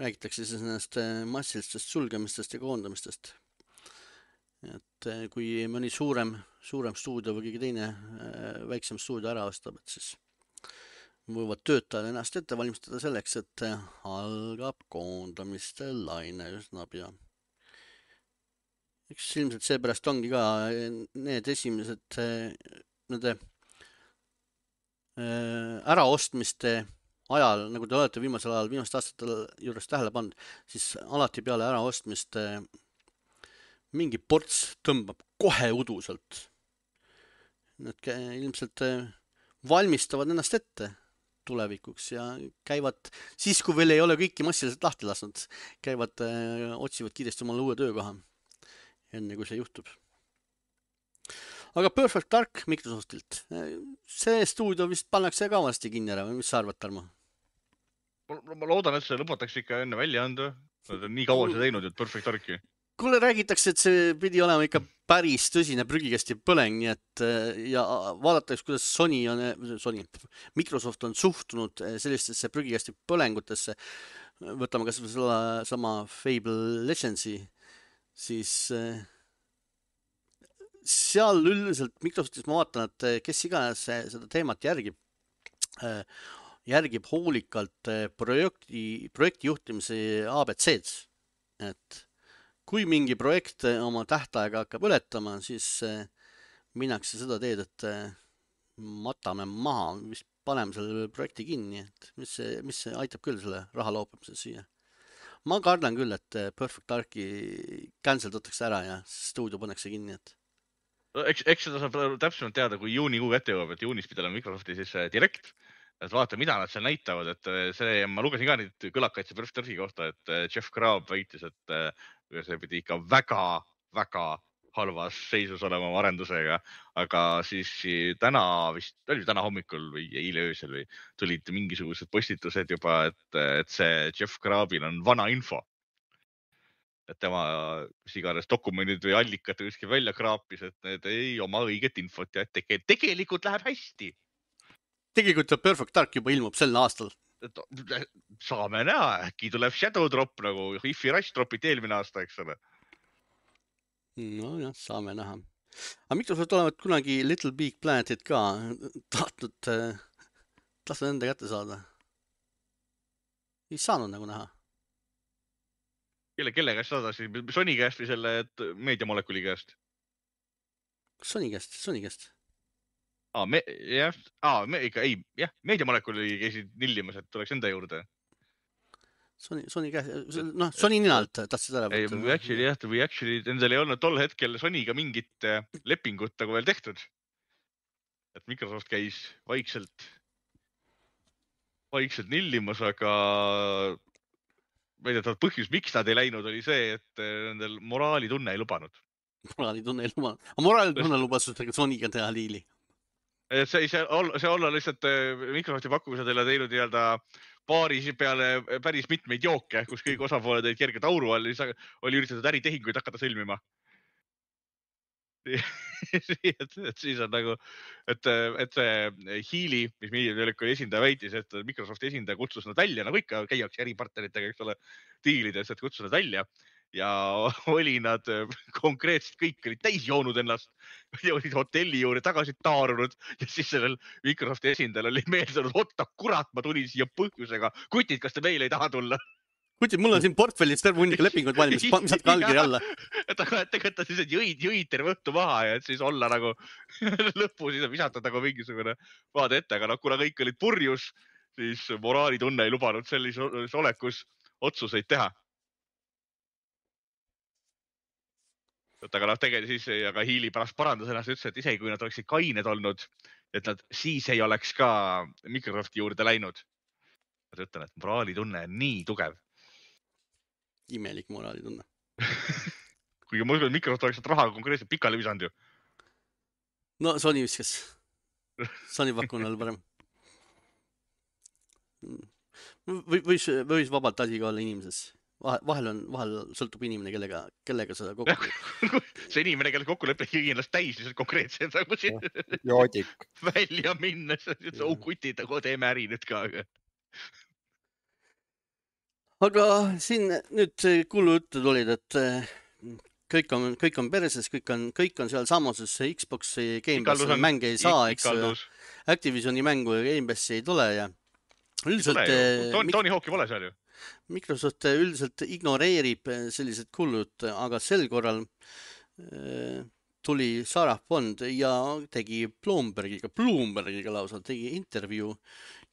räägitakse siis nendest massilistest sulgemistest ja koondamistest. Et kui mõni suurem, suurem stuudio või keegi teine väiksem stuudio ära ostab, et siis võivad töötajad ennast ette valmistada selleks, et algab koondamiste laine üsna pea. Eks ilmselt seepärast ongi ka need esimesed nende äraostmiste ajal, nagu te olete viimasel ajal, viimaste aastatel juures tähele pannud, siis alati peale äraostmist mingi ports tõmbab kohe uduselt. Nad ilmselt valmistavad ennast ette tulevikuks ja käivad, siis kui veel ei ole kõiki massiliselt lahti lasknud, käivad, otsivad kiiresti omale uue töökoha, enne kui see juhtub. Aga Perfect Dark Microsoftilt, see stuudio vist pannakse ka vasti kinni ära, või mis sa arvad, Tarmo? Ma loodan, et see lõpetatakse ikka enne välja anda. Nad on nii kaua see teinud, et Perfect Darki. Kuule, räägitakse, et see pidi olema ikka päris tõsine prügikasti põleng, nii et ja vaadatakse, kuidas Sony on, Sony, Microsoft on suhtunud sellistesse prügikasti põlengutesse. Võtame kas või selle sama Fable Legendsi, siis seal üldiselt Microsoftis ma vaatan, et kes iganes seda teemat järgib, järgib hoolikalt projekti, projekti juhtimise A B C-d, et kui mingi projekt oma tähtaega hakkab ületama, siis minnakse seda teed, et matame maha, vist paneme selle projekti kinni, et mis, see, mis see aitab küll selle raha loopimise siia. Ma kardan küll, et Perfect Darki cancel tõtakse ära ja stuudio pannakse kinni, et Eks, eks seda saab täpsemalt teada, kui juunikuu kätte jõuab, et juunis pidi olema Microsofti siis direkt, et vaata, mida nad seal näitavad, et see, ma lugesin ka neid kõlakaid see Perfect Darki kohta, et Jeff Grubb väitis, et see pidi ikka väga, väga halvas seisus olema arendusega, aga siis täna vist, oli täna hommikul või eile öösel või tulid mingisugused postitused juba, et, et see Jeff Grubbil on vana info. Et tema iganes dokumendid või allikad kuskil välja kraapis, et need ei oma õiget infot ja et tegelikult läheb hästi. Tegelikult Perfect Dark juba ilmub sel aastal. Saame näha, äkki tuleb Shadow Drop nagu Hi-Fi Rush Dropit eelmine aasta, eks ole. No jah, saame näha. Aga Microsoft olevat kunagi Little Big Planetit ka tahtnud, tahtnud enda kätte saada. Ei saanud nagu näha. Kelle, kelle käest saadasi? Sony käest või selle meediamolekuli käest? Sony käest, Sony käest. Aa, me, jah, aa, me ikka, ei, jah, meediamolekuli käisid nillimas, et tuleks enda juurde. Sony, Sony käest, noh, Sony ninalt tahtsid ära võtta. Ei, või actually, jah, või actually, endal ei olnud tol hetkel Sonyga mingit lepingut nagu veel tehtud. Et Microsoft käis vaikselt, vaikselt nillimas, aga väidetavalt põhjus, miks nad ei läinud, oli see, et nendel moraalitunne ei lubanud. Moraalitunne ei lubanud. Aga moraalitunne lubas Sonyga teha liili. See, see, see olla lihtsalt Microsofti pakkumised teile teinud nii-öelda paari peale päris mitmeid jooke, kus kõik osapooled olid kerged auru all, oli üritatud äritehinguid hakata sõlmima. et, et siis on nagu, et, et see Healy, mis meediamolekuli esindaja väitis, et Microsofti esindaja kutsus nad välja, nagu ikka käiakse äripartneritega, eks ole, diilides, et kutsus nad välja ja oli nad konkreetselt kõik olid täis joonud ennast ja olid hotelli juurde tagasi taarunud ja siis sellel Microsofti esindajal oli meeldunud, otta kurat, ma tulin siia põhjusega. Kutid, kas te meile ei taha tulla? Kutid, mul on siin portfellis terve hunniga lepingud valmis, saad ka allkiri alla. Et aga tegelikult siis, et jõid, jõid terve õhtu maha ja et siis olla nagu lõppu siis visata nagu mingisugune vaade ette, aga no, kuna kõik olid purjus, siis moraalitunne ei lubanud sellises olekus otsuseid teha. Et aga noh, tegelikult siis, aga Healy pärast parandas ennast ütles, et isegi kui nad oleksid kained olnud, et nad siis ei oleks ka Microsofti juurde läinud. Ma ütlen, et moraalitunne on nii tugev. Imelik moraalitunne. Kuigi ma usun, et Microsoft oleks raha konkreetselt pikali visanud ju. No Sony viskas. Sony pakkunud parem. Või, võis, võis vabalt asi ka olla inimeses. Vahel on, vahel sõltub inimene, kellega, kellega seda kokku. See inimene, kellega kokku lepib kindlasti täis lihtsalt konkreetselt nagu siin Joodik. välja minna. Oh kutid, aga teeme äri nüüd ka. Aga siin nüüd kuulu jutud olid, et kõik on, kõik on perses, kõik on, kõik on seal samuses Xboxi Game Passi mänge ei saa, eks Activisioni mängu ja Game Passi ei tule ja üldiselt... Tony, Tony Hawk'i pole seal ju. Microsoft üldiselt ignoreerib sellised kullud, aga sel korral tuli Sarah Bond ja tegi Bloombergiga, Bloombergiga lausa tegi intervjuu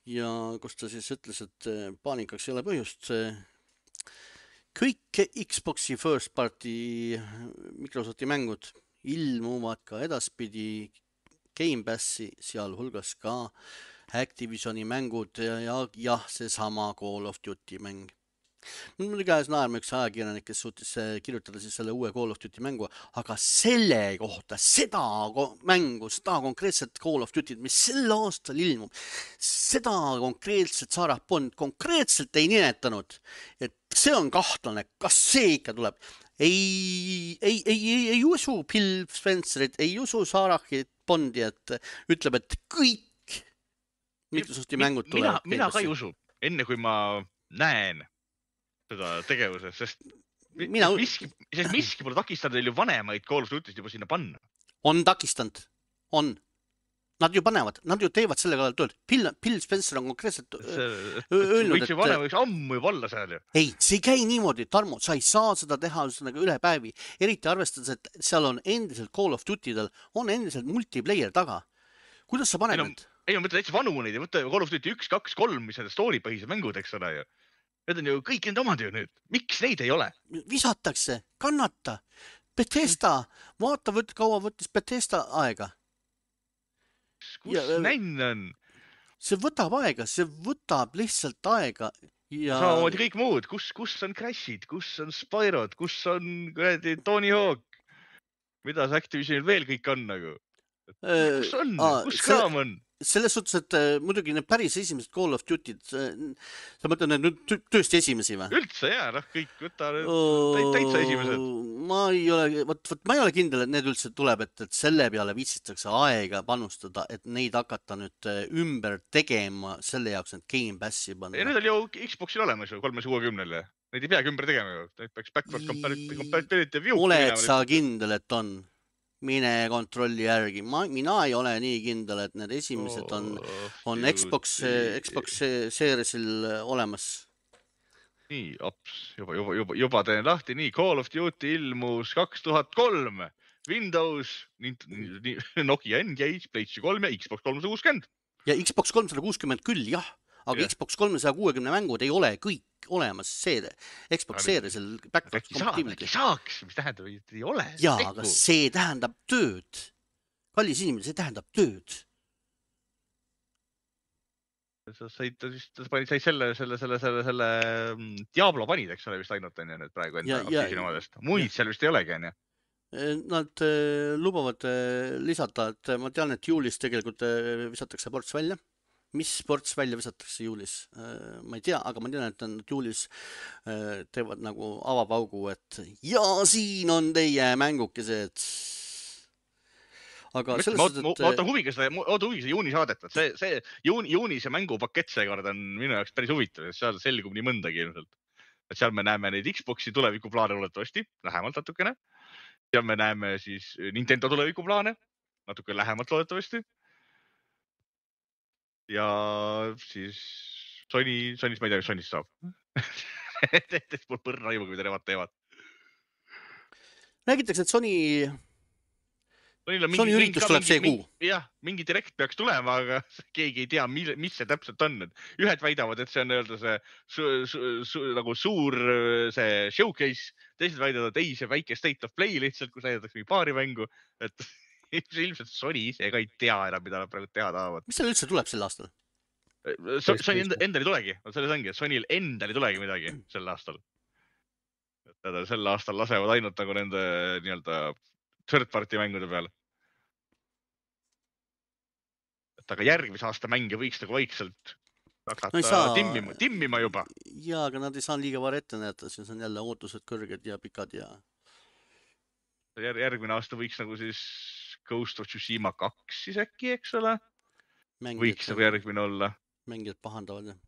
ja kus ta siis ütles, et paanikaks ei ole põhjust. Kõik Xboxi first party Microsofti mängud ilmuvad ka edaspidi Game Passi, sealhulgas ka Activisioni mängud ja, ja, ja see sama Call of Duty mäng. Mul oli käes naerma üks ajakirjanik, kes suutis kirjutada siis selle uue Call of Duty mängu, aga selle kohta, seda mängu, seda konkreetset Call of Duty, mis sel aastal ilmub, seda konkreetset Sarah Bond konkreetselt ei nimetanud, et see on kahtlane, kas see ikka tuleb. Ei, ei, ei, ei, ei usu Bill Spencerit, ei usu Sarahit Bondi, et ütleb, et kõik Microsofti mängud tulevad. Mina, mina ka ei usu, enne kui ma näen seda tegevuse, sest mina... miski, sest miski pole takistanud neil ju vanemaid Call of Duty'st juba sinna panna. On takistanud, on. Nad ju panevad, nad ju teevad selle kallal tööd. Bill, Bill Spencer on konkreetselt see, öelnud, võiks ju vanema, võiks ammu juba olla seal ju. Ei, see ei käi niimoodi, Tarmo, sa ei saa seda teha üle päevi. Eriti arvestades, et seal on endiselt Call of Duty'del, on endiselt multiplayer taga. Kuidas sa paned need? Ei, ma mõtlen täitsa vanu neid ja võtta Call of Duty üks, kaks, kolm, mis need story põhised mängud, eks ole ju. Need on ju kõik need omad ju nüüd. Miks neid ei ole? Visatakse, kannata. Bethesda, vaata, võt, kaua võttis Bethesda aega. Kus ja, nänn on? See võtab aega, see võtab lihtsalt aega. Ja... Samamoodi kõik muud. Kus, kus on Crashid, kus on Spyrod, kus on Tony Hawk? Mida see Activisionil veel kõik on nagu? Kus on? Aa, kus kraam on? Selles suhtes, et äh, muidugi need päris esimesed Call of Duty'd, äh, sa mõtled need nüüd töösti esimesi või? Üldse jaa, noh, kõik võta oh, täitsa esimesed. Ma ei ole, võt, võt, ma ei ole kindel, et need üldse tuleb, et, et selle peale viitsitakse aega panustada, et neid hakata nüüd ümber tegema selle jaoks, et Game Passi panna. Ja need on ju Xboxil olemas ju kolmesaja kuuekümnele. Neid ei peagi ümber tegema ju. Neid peaks backward compatibility view. Oled sa kindel, et on? Mine kontrolli järgi. Ma, mina ei ole nii kindel, et need esimesed on, on Xbox, Xbox Seriesil olemas. Nii, aps, juba, juba, juba, juba teen lahti. Nii, Call of Duty ilmus kaks tuhat kolm, Windows, Nokia N-Gage, PlayStation kolm ja Xbox kolmsada kuuskümmend. Ja Xbox kolmsada kuuskümmend küll, jah. Aga yeah. Xbox kolmesaja kuuekümne mängud ei ole kõik olemas seere. Xbox Seriesil backward compatibility. Äkki saaks, mis tähendab, et ei ole. Jaa, aga see tähendab tööd. Kallis inimene, see tähendab tööd. Sa said, sa panid said selle, selle, selle, selle, selle Diablo panid, eks ole, vist ainult on ja nüüd praegu enda aktiivsini omadest. Muid ja. Seal vist ei olegi, on ja? Nad äh, lubavad äh, lisada, et ma tean, et juulis tegelikult äh, visatakse ports välja. Mis sports välja visatakse juulis? Ma ei tea, aga ma tean, et nad juulis teevad nagu avapaugu, et ja siin on teie mängukesed. Aga selles ma, ma, ma ootan huviga seda, ootan huviga seda juuni saadet, et see, see juuni, juuni see mängupakett seekord on minu jaoks päris huvitav, et seal selgub nii mõndagi ilmselt. Et seal me näeme neid Xboxi tulevikuplaane olettavasti, lähemalt natukene. Seal me näeme siis Nintendo tulevikuplaane, natuke lähemalt olettavasti. Ja siis Sony, Sonys ma ei tea, mis Sonys saab. Tehtest mul põrna aimu, kui te nemad teevad. Räägitakse, et Sony, Sony üritus tuleb see kuu. Jah, mingi direkt peaks tulema, aga keegi ei tea, mis see täpselt on. Ühed väidavad, et see on öelda see su, su, su, nagu suur see showcase. Teised väidavad, et ei, see väike state of play lihtsalt, kus näidatakse mingi paari mängu. Et ilmselt Sony ise ka ei tea enam, mida nad praegu teha tahavad. Mis seal üldse tuleb sel aastal? Sony enda, endal ei tulegi, selles ongi, et Sonyl endal ei tulegi midagi sel aastal. Et sel aastal lasevad ainult nagu nende nii-öelda third party mängude peal. Et aga järgmise aasta mänge võiks nagu vaikselt hakata no saa... timmima, timmima juba. Jaa, aga nad ei saa liiga vara ette näeta, siis on jälle ootused kõrged ja pikad ja... Jär, järgmine aasta võiks nagu siis Ghost of Tsushima kaks siis äkki, eks ole? Mängijad, võiks nagu järgmine olla. Mängijad pahandavad, jah.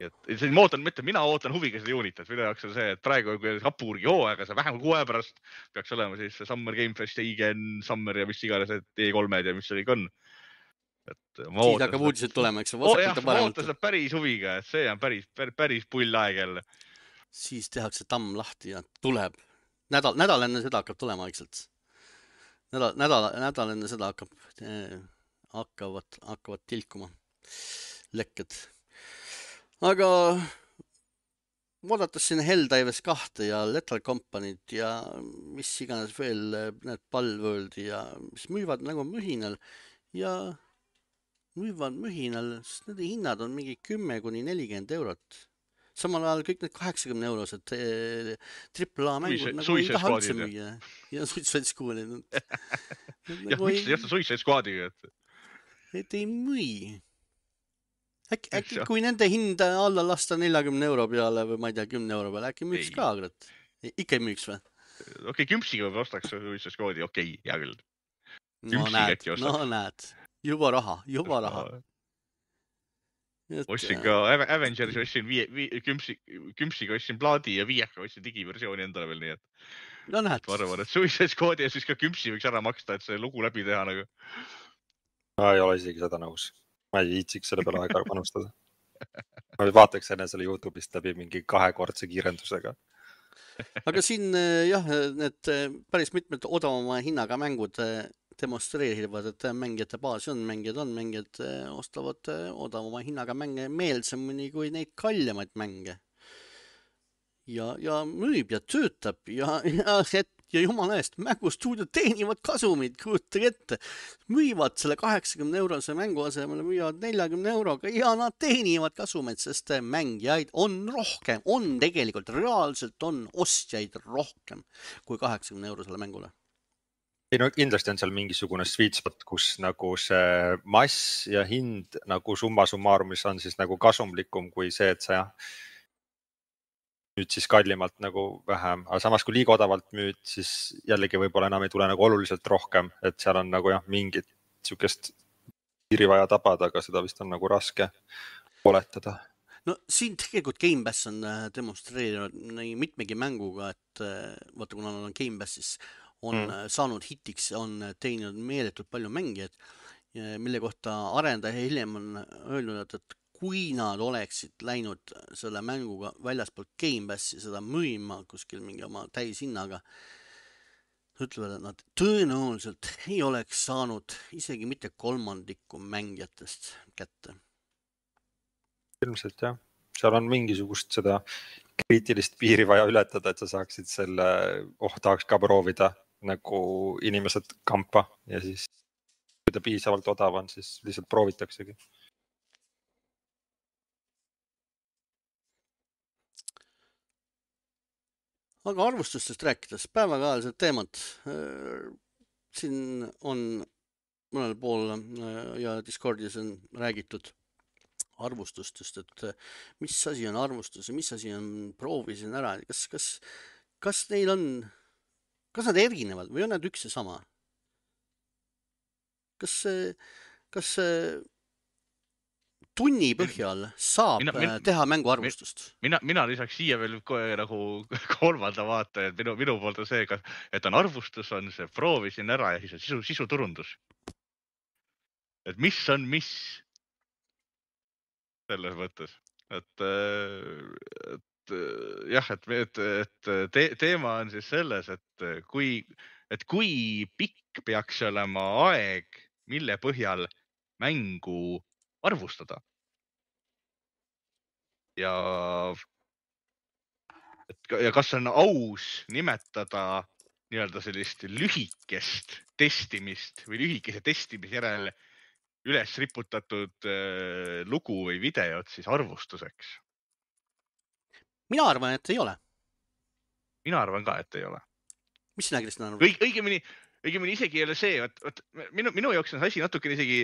Et see, ma ootan, mitte, mina ootan huviga seda juunit, et minu jaoks on see, et praegu kui Hapurgi hooaega, see vähem kuu aja pärast peaks olema siis Summer Game Fest ja I G N Summer ja mis iganes E kolmed ja mis see kõik on. Et ma siis hakkab uudised tulema, eks? Oh, jah, ma ootan seda päris huviga, et see on päris, päris, päris pull aeg jälle. Siis tehakse tamm lahti ja tuleb. Nädal, nädal enne seda hakkab tulema vaikselt. Nädal, nädal, nädal enne seda hakkab, eh, hakkavad, hakkavad tilkuma lekked. Aga vaadates siin Helldivers kahte ja Lethal Company't ja mis iganes veel need Palworldi ja mis müüvad nagu mühinal ja müüvad mühinal, sest nende hinnad on mingi kümme kuni nelikümmend eurot. Samal ajal kõik need kaheksakümne eurosed triple A mängud nagu ei taha üldse müüa. Ja Suicide Squadid. Jah, miks ei jätta Suicide Squadiga? Et ei müü. Äkki, äkki kui nende hinda alla lasta neljakümne euro peale või ma ei tea, kümne euro peale, äkki müüks ei. Ka, agrat? Ikka ei müüks või? Okei, okay, kümpsiga võib ostaks Suicide Squadi, okei, okay, hea küll. No näed, no näed. Juba raha, juba raha. No. Ostsin ka Avengers, ostsin vii, vii, kümpsi, kümpsiga ostsin plaadi ja viieka ostsin digiversiooni endale veel nii, et no näed. Ma arvan, et Suicide Squadi ja siis ka kümpsi võiks ära maksta, et see lugu läbi teha nagu. Ma ei ole isegi seda nõus. Ma ei viitsiks selle peale aega panustada. Ma vaataks enne selle YouTube'ist läbi mingi kahekordse kiirendusega. Aga siin jah, need päris mitmed odavama hinnaga mängud demonstreerivad, et mängijate baasi on, mängijad on, mängijad ostavad odavama hinnaga mänge meelsemini kui neid kaljamaid mänge. Ja, ja müüb ja töötab ja, ja, et, ja jumala eest, mängustuudiod teenivad kasumid, kujutage ette. Müüvad selle kaheksakümne eurose mängu asemel, müüvad neljakümne euroga ja nad teenivad kasumeid, sest mängijaid on rohkem, on tegelikult, reaalselt on ostjaid rohkem kui kaheksakümne eurosele mängule. Ei, no kindlasti on seal mingisugune sweet spot, kus nagu see mass ja hind nagu summa summarumis on siis nagu kasumlikum kui see, et sa jah, nüüd siis kallimalt nagu vähem, aga samas kui liiga odavalt müüd, siis jällegi võib-olla enam ei tule nagu oluliselt rohkem, et seal on nagu jah, mingit sükest piiri vaja tabada, aga seda vist on nagu raske oletada. No siin tegelikult Game Pass on demonstreerinud nii mitmegi mänguga, et vaata, kuna on Game Pass, siis on mm. saanud hitiks, on teeninud meeletult palju mängijaid, mille kohta arendaja hiljem on öelnud, et kui nad oleksid läinud selle mänguga väljaspoolt Game Passi seda müüma kuskil mingi oma täishinnaga, ütlevad, et nad tõenäoliselt ei oleks saanud isegi mitte kolmandikku mängijatest kätte. Ilmselt jah, seal on mingisugust seda kriitilist piiri vaja ületada, et sa saaksid selle, oh, tahaks ka proovida nagu inimesed kampa ja siis kui ta piisavalt odav on, siis lihtsalt proovitaksegi. Aga arvustustest rääkides, päevakajalised teemad. Siin on mõnel pool ja Discordis on räägitud arvustustest, et mis asi on arvustus ja mis asi on proovisin ära. Kas, kas, kas neil on, kas nad erinevad või on nad üks ja sama? Kas, kas tunni põhjal saab mina, mina, teha mängu arvustust? Mina, mina lisaks siia veel nagu kolmanda vaata, et minu, minu poolt on see, et on arvustus, on see proovisin ära ja siis on sisu, sisuturundus. Et mis on mis selles mõttes. Et, et jah, et, et, et te, teema on siis selles, et kui, et kui pikk peaks olema aeg, mille põhjal mängu arvustada. Ja et ja kas on aus nimetada nii-öelda sellist lühikest testimist või lühikese testimise järel üles riputatud äh, lugu või videot siis arvustuseks? mina arvan, et ei ole. Mina arvan ka, et ei ole. Mis sina, Kristjan, arvad? Õig, õigemini, õigemini isegi ei ole see, et, et minu, minu jaoks on asi natukene isegi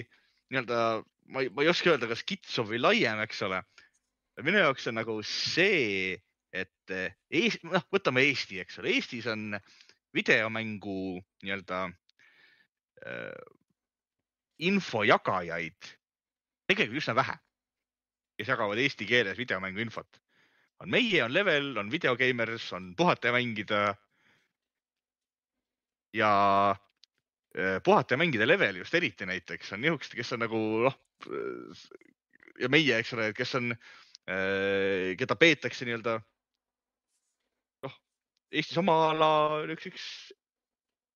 nii-öelda, ma, ma ei oska öelda, kas kitsum või laiem, eks ole. Minu jaoks on nagu see, et Eest, noh, võtame Eesti, eks ole. Eestis on videomängu nii-öelda äh, infojagajaid tegelikult üsna vähe, kes jagavad eesti keeles videomängu infot. On meie, on Level, on Videogamers, on Puhata ja mängida. Ja Puhata ja mängida Level just eriti näiteks on nihukesed, kes on nagu, noh, ja meie, eks ole, kes on, keda peetakse nii-öelda, noh, Eestis oma ala üks, üks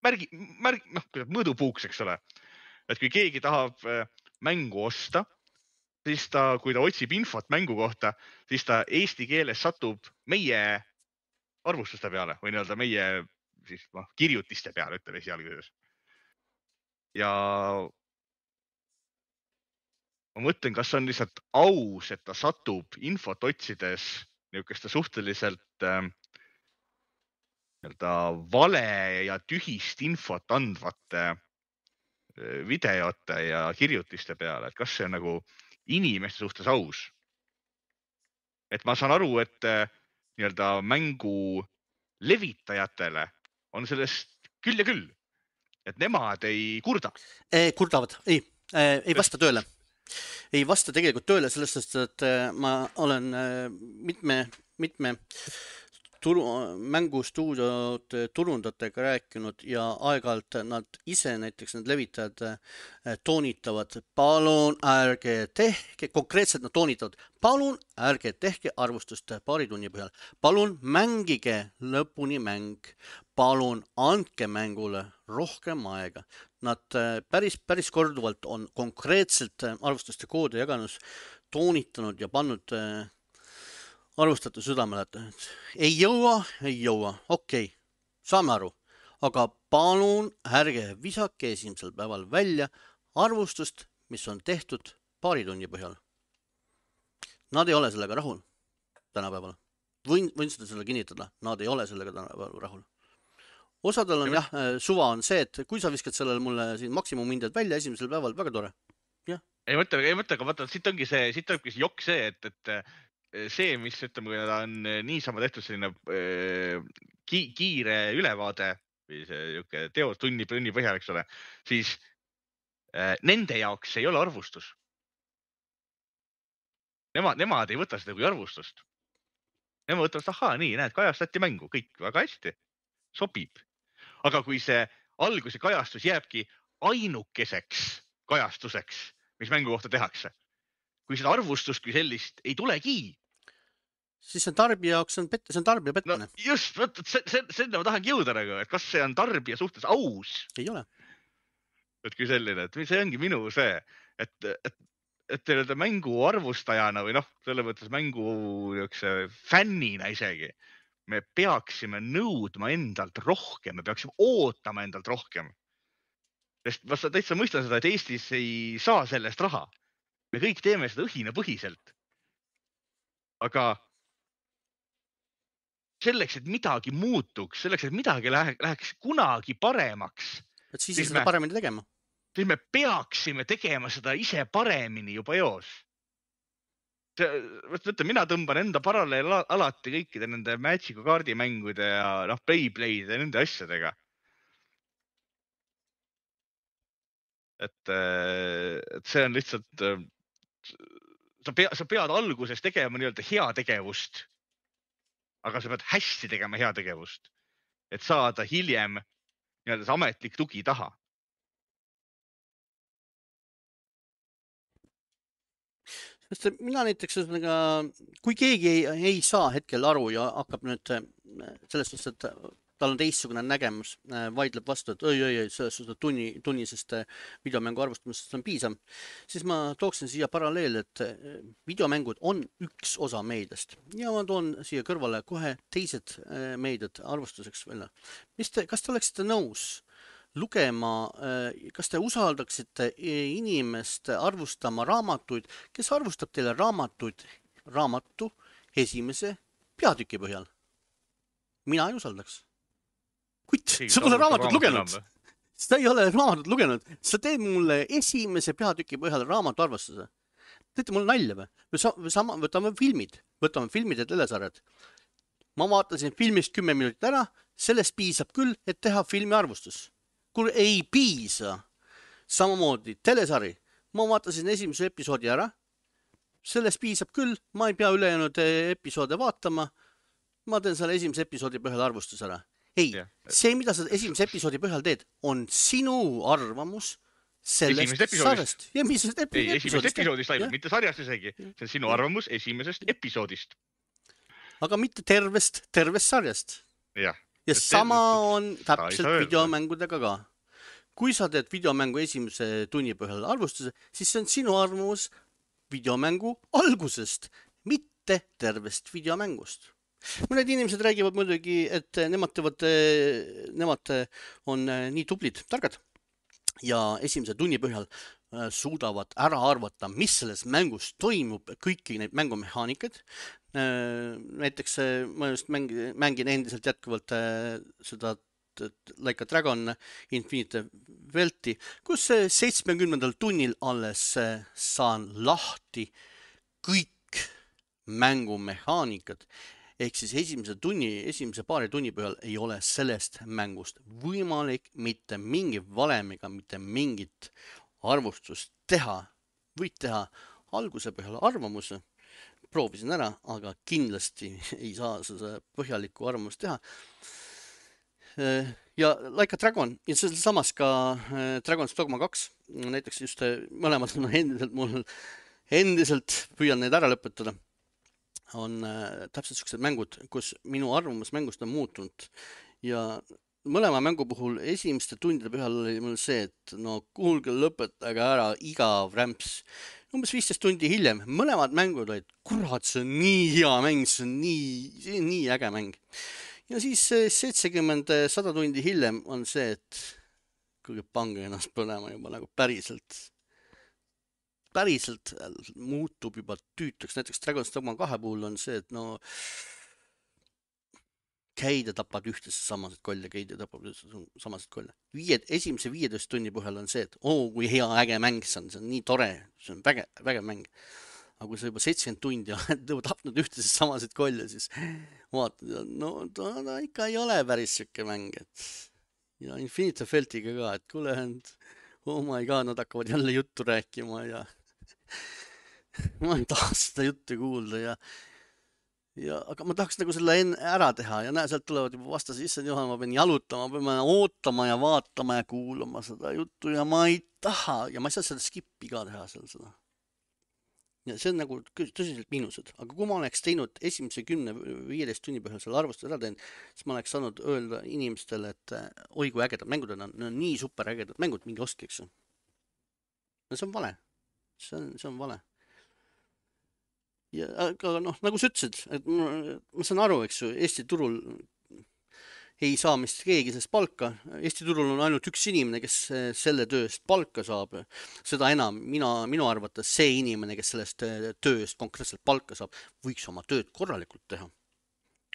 märgi, märg, noh, mõõdupuuks, eks ole. Et kui keegi tahab mängu osta, siis ta, kui ta otsib infot mängu kohta, siis ta eesti keeles satub meie arvustuste peale või nii-öelda meie siis, noh, kirjutiste peale, ütleme esialguses. Ja ma mõtlen, kas on lihtsalt aus, et ta satub infot otsides niisugeste suhteliselt äh, nii-öelda vale ja tühist infot andvate äh, videote ja kirjutiste peale, et kas see on nagu inimeste suhtes aus. Et ma saan aru, et äh, nii-öelda mängu levitajatele on sellest küll ja küll, et nemad ei kurda. E, kurdavad, ei, ei vasta tööle. Ei vasta tegelikult tööle, sellest, et ma olen mitme, mitme turu, mängustuudiod turundajatega rääkinud ja aeg-ajalt nad ise, näiteks need levitajad toonitavad, palun ärge tehke, konkreetselt nad toonitavad, palun ärge tehke arvustust paari tunni põhjal, palun mängige lõpuni mäng, palun andke mängule rohkem aega. Nad päris, päris korduvalt on konkreetselt arvustuste koode jaganud, toonitanud ja pannud arvustate südamele, et ei jõua, ei jõua, okei, okay, saame aru, aga palun ärge visake esimesel päeval välja arvustust, mis on tehtud paari tunni põhjal. Nad ei ole sellega rahul tänapäeval. Võin, võin seda selle kinnitada, nad ei ole sellega tänapäeval rahul. Osadel on jah, suva on see, et kui sa viskad sellele mulle siin maksimumhinded välja esimesel päeval, väga tore. Jah. Ei mõtle, ei mõtle, aga vaata, siit ongi see, siit ongi see jokk see, et, et see, mis ütleme, kui ta on niisama tehtud selline ki, kiire ülevaade või see teos tunni, tunni põhjal, eks ole, siis nende jaoks ei ole arvustus. Nemad, nemad ei võta seda kui arvustust. Nemad võtavad, ahaa, nii, näed, kajastati mängu, kõik väga hästi, sobib. Aga kui see alguse kajastus jääbki ainukeseks kajastuseks, mis mängu kohta tehakse, kui seda arvustust kui sellist ei tulegi, siis see on tarbija jaoks, see on, pette, see on tarbija pettane. No just, võt, see, see, see ma tahangi jõuda nagu, et kas see on tarbija suhtes aus? Ei ole. Et kui selline, et see ongi minu see, et, et, et teile mängu arvustajana või noh, selle mõttes mängu fännina isegi, me peaksime nõudma endalt rohkem, me peaksime ootama endalt rohkem. Sest ma täitsa mõistan seda, et Eestis ei saa sellest raha. Me kõik teeme seda õhina põhiselt. Aga selleks, et midagi muutuks, selleks, et midagi läheks kunagi paremaks, et siis, siis seda me, paremini tegema. Siis me peaksime tegema seda ise paremini juba eos. Võtta, mina tõmban enda paralleel alati kõikide nende Magicu kaardimängude ja noh, Beyblade ja nende asjadega. Et, et see on lihtsalt, sa pead, sa pead alguses tegema nii-öelda hea tegevust, aga sa pead hästi tegema hea tegevust, et saada hiljem nii-öelda see ametlik tugi taha. Sest mina näiteks, kui keegi ei, ei saa hetkel aru ja hakkab nüüd sellest, et tal on teistsugune nägemus, vaidleb vastu, et oi, oi, oi, seda tunni, tunnisest videomängu arvustamisest on piisav, siis ma tooksin siia paralleel, et videomängud on üks osa meediast ja ma toon siia kõrvale kohe teised meediad arvustuseks välja. Mis te, kas te oleksite nõus lugema, kas te usaldaksite inimest arvustama raamatuid, kes arvustab teile raamatuid, raamatu esimese peatüki põhjal? Mina ei usaldaks. Kuid sa pole raamatut lugenud. Sa ei ole raamatut lugenud. Sa teed mulle esimese peatüki põhjal raamatu arvustuse. Teete mulle nalja või? Või sama, võtame filmid. Võtame filmid ja telesarjad. Ma vaatasin filmist kümme minutit ära. Sellest piisab küll, et teha filmi arvustus. Kui ei piisa. Samamoodi telesari. Ma vaatasin esimese episoodi ära. Sellest piisab küll. Ma ei pea ülejäänud episoode vaatama. Ma teen selle esimese episoodi põhjal arvustus ära. Ei, yeah. see, mida sa esimese episoodi põhjal teed, on sinu arvamus sellest sarjast. Ja esimesest episoodist. Ei, esimesest episoodist ainult, mitte sarjast isegi. See on sinu arvamus esimesest episoodist. Aga mitte tervest, tervest sarjast. Ja, ja sama on täpselt videomängudega ka. Kui sa teed videomängu esimese tunni põhjal arvustuse, siis see on sinu arvamus videomängu algusest, mitte tervest videomängust. Mõned inimesed räägivad muidugi, et nemad, teevad, nemad on nii tublid, targad ja esimese tunni põhjal suudavad ära arvata, mis selles mängus toimub, kõiki neid mängumehaanikad. Näiteks ma just mängin, mängin endiselt jätkuvalt seda Like a Dragon Infinite Welti, kus seitsmekümnendal tunnil alles saan lahti kõik mängumehaanikad. Ehk siis esimese tunni, esimese paari tunni põhjal ei ole sellest mängust võimalik mitte mingi valemiga, mitte mingit arvustust teha. Võid teha alguse põhjal arvamuse, proovisin ära, aga kindlasti ei saa seda põhjalikku arvamust teha. Ja Like a Dragon, ja samas ka Dragon's Dogma kaks, näiteks just mõlemad on endiselt, mul endiselt püüan neid ära lõpetada. On äh, täpselt sellised mängud, kus minu arvamus mängust on muutunud ja mõlema mängu puhul esimeste tundide põhjal oli mul see, et no kuulge lõpetage ära igav rämps. Umbes viisteist tundi hiljem mõlemad mängud olid, kurat, see on nii hea mäng, see on nii, see on nii äge mäng. Ja siis seitsekümmend sada tundi hiljem on see, et kuulge pange ennast põlema juba nagu päriselt. päriselt muutub juba tüütuks. Näiteks Dragon's Dogma kahe puhul on see, et no käid ja tapad ühtesse samasid kolle, käid ja tapad ühtesse samasid kolle. Viied, esimese viieteist tunni põhjal on see, et oo, kui hea äge mäng see on, see on nii tore, see on väge, väge mäng. Aga kui sa juba seitsekümmend tundi oled tapnud ühtesse samasid kolle, siis vaatad, no ta, ta ikka ei ole päris siuke mäng. Et... ja Infinite Feltiga ka, et kuule, oh my god, nad hakkavad jälle juttu rääkima ja ma ei taha seda juttu kuulda ja, ja aga ma tahaks nagu selle enne ära teha ja näe, sealt tulevad juba vastase issand juhal, ma pean jalutama, ma pean ootama ja vaatama ja kuulama seda juttu ja ma ei taha ja ma ei saa seda skippi ka teha seal seda. Ja see on nagu tõsiselt miinused, aga kui ma oleks teinud esimese kümne viieteist tunni põhjal selle arvustuse ära teen, siis ma oleks saanud öelda inimestele, et oi kui ägedad mängud on, on nii super ägedad mängud, mingi ostke, eks. Ja see on vale. See on, see on vale. Ja aga noh, nagu sa ütlesid, et ma, ma saan aru, eks ju, Eesti turul ei saa mist keegi sellest palka. Eesti turul on ainult üks inimene, kes selle tööst palka saab. Seda enam, mina, minu arvates see inimene, kes sellest tööst konkreetselt palka saab, võiks oma tööd korralikult teha.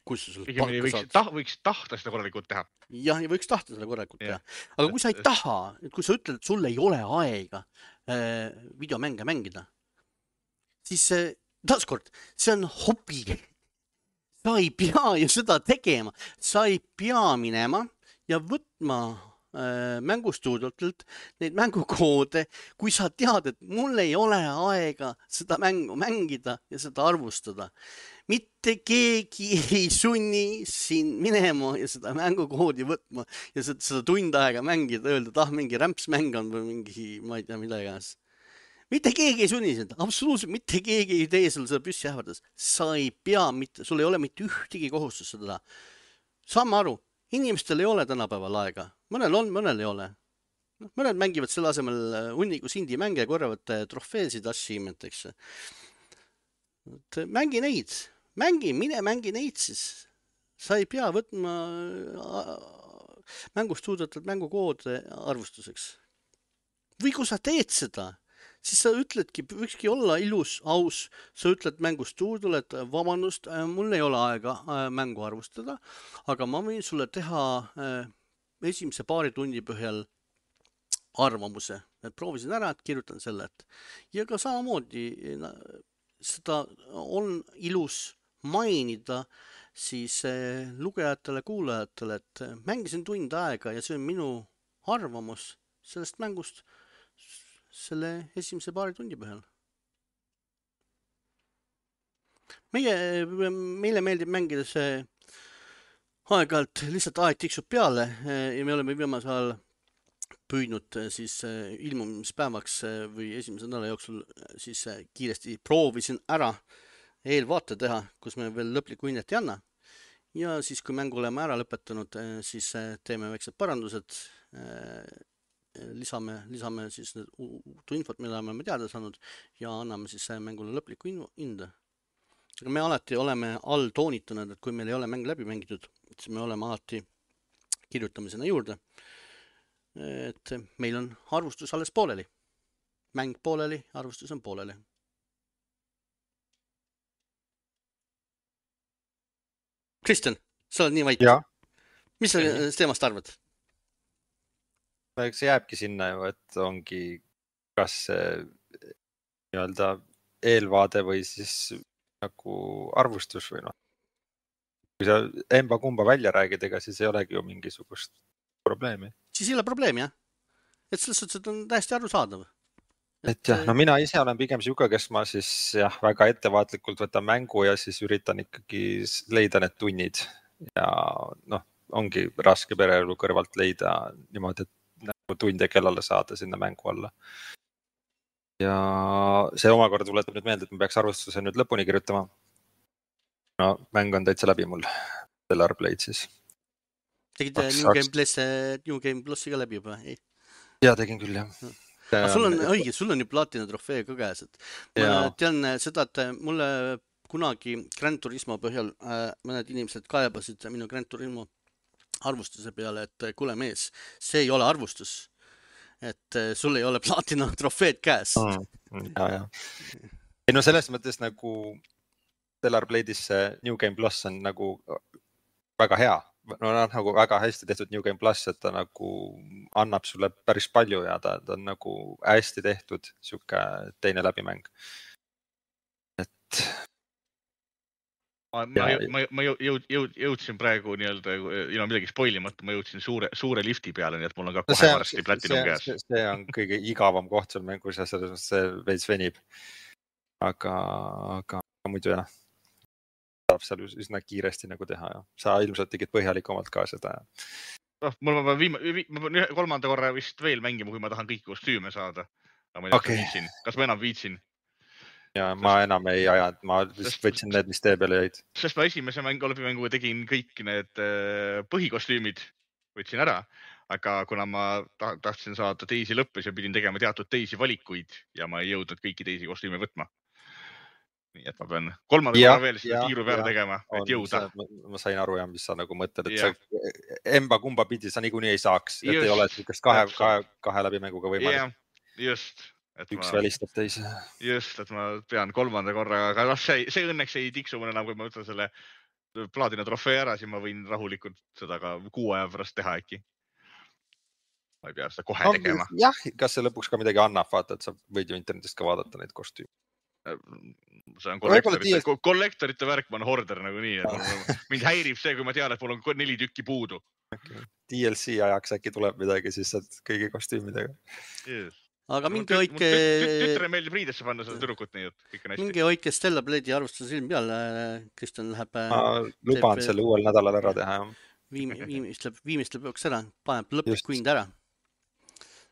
Kui sa sellest palka võiks, saad. Ta, võiks tahta seda korralikult teha. Jah, ja võiks tahta seda korralikult teha. Aga kui sa ei taha, kui sa ütled, et sul ei ole aega äh, videomänge mängida, siis äh, taaskord, see on hobi. Sa ei pea ju seda tegema. Sa ei pea minema ja võtma äh, mängustuudiotelt neid mängukoode, kui sa tead, et mul ei ole aega seda mängu mängida ja seda arvustada. Mitte keegi ei sunni siin minema ja seda mängukoodi võtma ja seda, seda tund aega mängida, öelda, et ah, mingi rämpsmäng on või mingi, ma ei tea, mida iganes. Mitte keegi ei sunni seda, absoluutselt mitte keegi ei tee sul seda püssi ähvardas. Sa ei pea mitte, sul ei ole mitte ühtegi kohustust seda. Saame aru, inimestel ei ole tänapäeval aega. Mõnel on, mõnel ei ole. No, mõned mängivad selle asemel hunnikus indie mänge ja korjavad trofeesid achievements. Mängi neid. Mängi, mine mängi neid siis. Sa ei pea võtma mängust suudetud mängukoode arvustuseks. Või kui sa teed seda, siis sa ütledki, võikski olla ilus, aus. Sa ütled mängust tuudule, et vabandust, mul ei ole aega mängu arvustada, aga ma võin sulle teha esimese paari tunni põhjal arvamuse. Et proovisin ära, et kirjutan selle. Et... Ja ka samamoodi seda on ilus mainida siis lugejatele, kuulajatele, et mängisin tund aega ja see on minu arvamus sellest mängust selle esimese paari tundi põhjal. Meie, meile meeldib mängida see aeg-ajalt lihtsalt aeg tiksub peale ja me oleme viimasel ajal püüdnud siis ilmumispäevaks või esimese nädala jooksul siis kiiresti proovisin ära eelvaate teha, kus me veel lõplikku hinnet ei anna. Ja siis, kui mängu oleme ära lõpetanud, siis teeme väiksed parandused, lisame, lisame siis uut infot, mida oleme teada saanud ja anname siis mängule lõplikku hinde. Aga me alati oleme all toonitanud, et kui meil ei ole mäng läbi mängitud, siis me oleme alati kirjutame sinna juurde, et meil on arvustus alles pooleli. Mäng pooleli, arvustus on pooleli. Kristjan, sa oled nii vait. Mis sa teemast arvad? Eks see jääbki sinna ju, et ongi kas nii-öelda eelvaade või siis nagu arvustus või noh. Kui sa emba kumba välja räägid, ega siis ei olegi ju mingisugust probleemi. Siis ei ole probleemi, jah? Et selles suhtes, et on täiesti arusaadav. Et jah, no mina ise olen pigem siuke, kes ma siis jah, väga ettevaatlikult võtan mängu ja siis üritan ikkagi leida need tunnid. Ja noh, ongi raske pereelu kõrvalt leida niimoodi, et nagu tunde kellale saada sinna mängu alla. Ja see omakorda tuletab nüüd meelde, et ma peaks arvustuse nüüd lõpuni kirjutama. No mäng on täitsa läbi mul, Stellar Blade siis. Tegid New Game Plus, New Game Plusi ka läbi juba? Ei? Ja, tegin küll, jah. Aga sul on õige, sul on ju platina trofee ka käes. Et ma tean seda, et mulle kunagi Gran Turismo põhjal mõned inimesed kaebasid minu Gran Turismo arvustuse peale, et kuule mees, see ei ole arvustus. Et sul ei ole platina trofeed käes. Mm, ja, ja. Ei, no selles mõttes nagu Stellar Blade'is New Game Plus on nagu väga hea. No nagu väga hästi tehtud New Game Plus, et ta nagu annab sulle päris palju ja ta, ta on nagu hästi tehtud siuke teine läbimäng. Et ma, ma, ma, ma jõud, jõud, jõudsin praegu nii-öelda ilma midagi spoilimata, ma jõudsin suure, suure lifti peale, nii et mul on ka kohe see, varsti platinum käes. See, see on kõige igavam koht seal mängus ja selles see veits venib. Aga, aga muidu jah. Saab seal üsna kiiresti nagu teha ja sa ilmselt tegid põhjalikumalt ka seda. No, mul ma viima, ma pean kolmanda korra vist veel mängima, kui ma tahan kõiki kostüüme saada. Ma ei okay. viitsin. Kas ma enam viitsin? Ja ma sest, enam ei aja, ma vist võtsin need, mis tee peale jäid. Sest ma esimese mängu läbimänguga tegin kõik need põhikostüümid, võtsin ära, aga kuna ma tahtsin saada teisi lõppes ja pidin tegema teatud teisi valikuid ja ma ei jõudnud kõiki teisi kostüüme võtma. Nii et ma pean kolmanda korra veel seda tiiru peale tegema, et jõuda. Ma, ma sain aru jah, mis sa nagu mõtled, et ja. Sa emba kumba pidi sa niikuinii ei saaks, et just, ei ole niisugust kahe, kahe, kahe läbimänguga võimalik. Ja, just. Et üks ma, välistab teise. Just, et ma pean kolmanda korra, aga noh, see, see õnneks ei tiksu mõne enam, kui ma võtan selle plaadina trofee ära, siis ma võin rahulikult seda ka kuu aja pärast teha äkki. Ma ei pea seda kohe no, tegema. Jah, kas see lõpuks ka midagi annab, vaata, et sa võid ju internetist ka vaadata neid kostüüme. See on kollektorite, kollektorite värk, ma on horder nagu nii, et mind häirib see, kui ma tean, et mul on neli tükki puudu. Okay. D L C ajaks äkki tuleb midagi, siis saad kõigi kostüümidega. Yes. Aga mingi hoidke... Tütre meeldib riidesse panna seda tüdrukut nii, et kõik on hästi. Mingi hoidke Stellar Blade'i arvustuse silm peale, Kristjan läheb... Ma luban teeb, selle uuel nädalal ära teha. Viimistleb, viimistleb joks ära, paneb lõplik hind ära.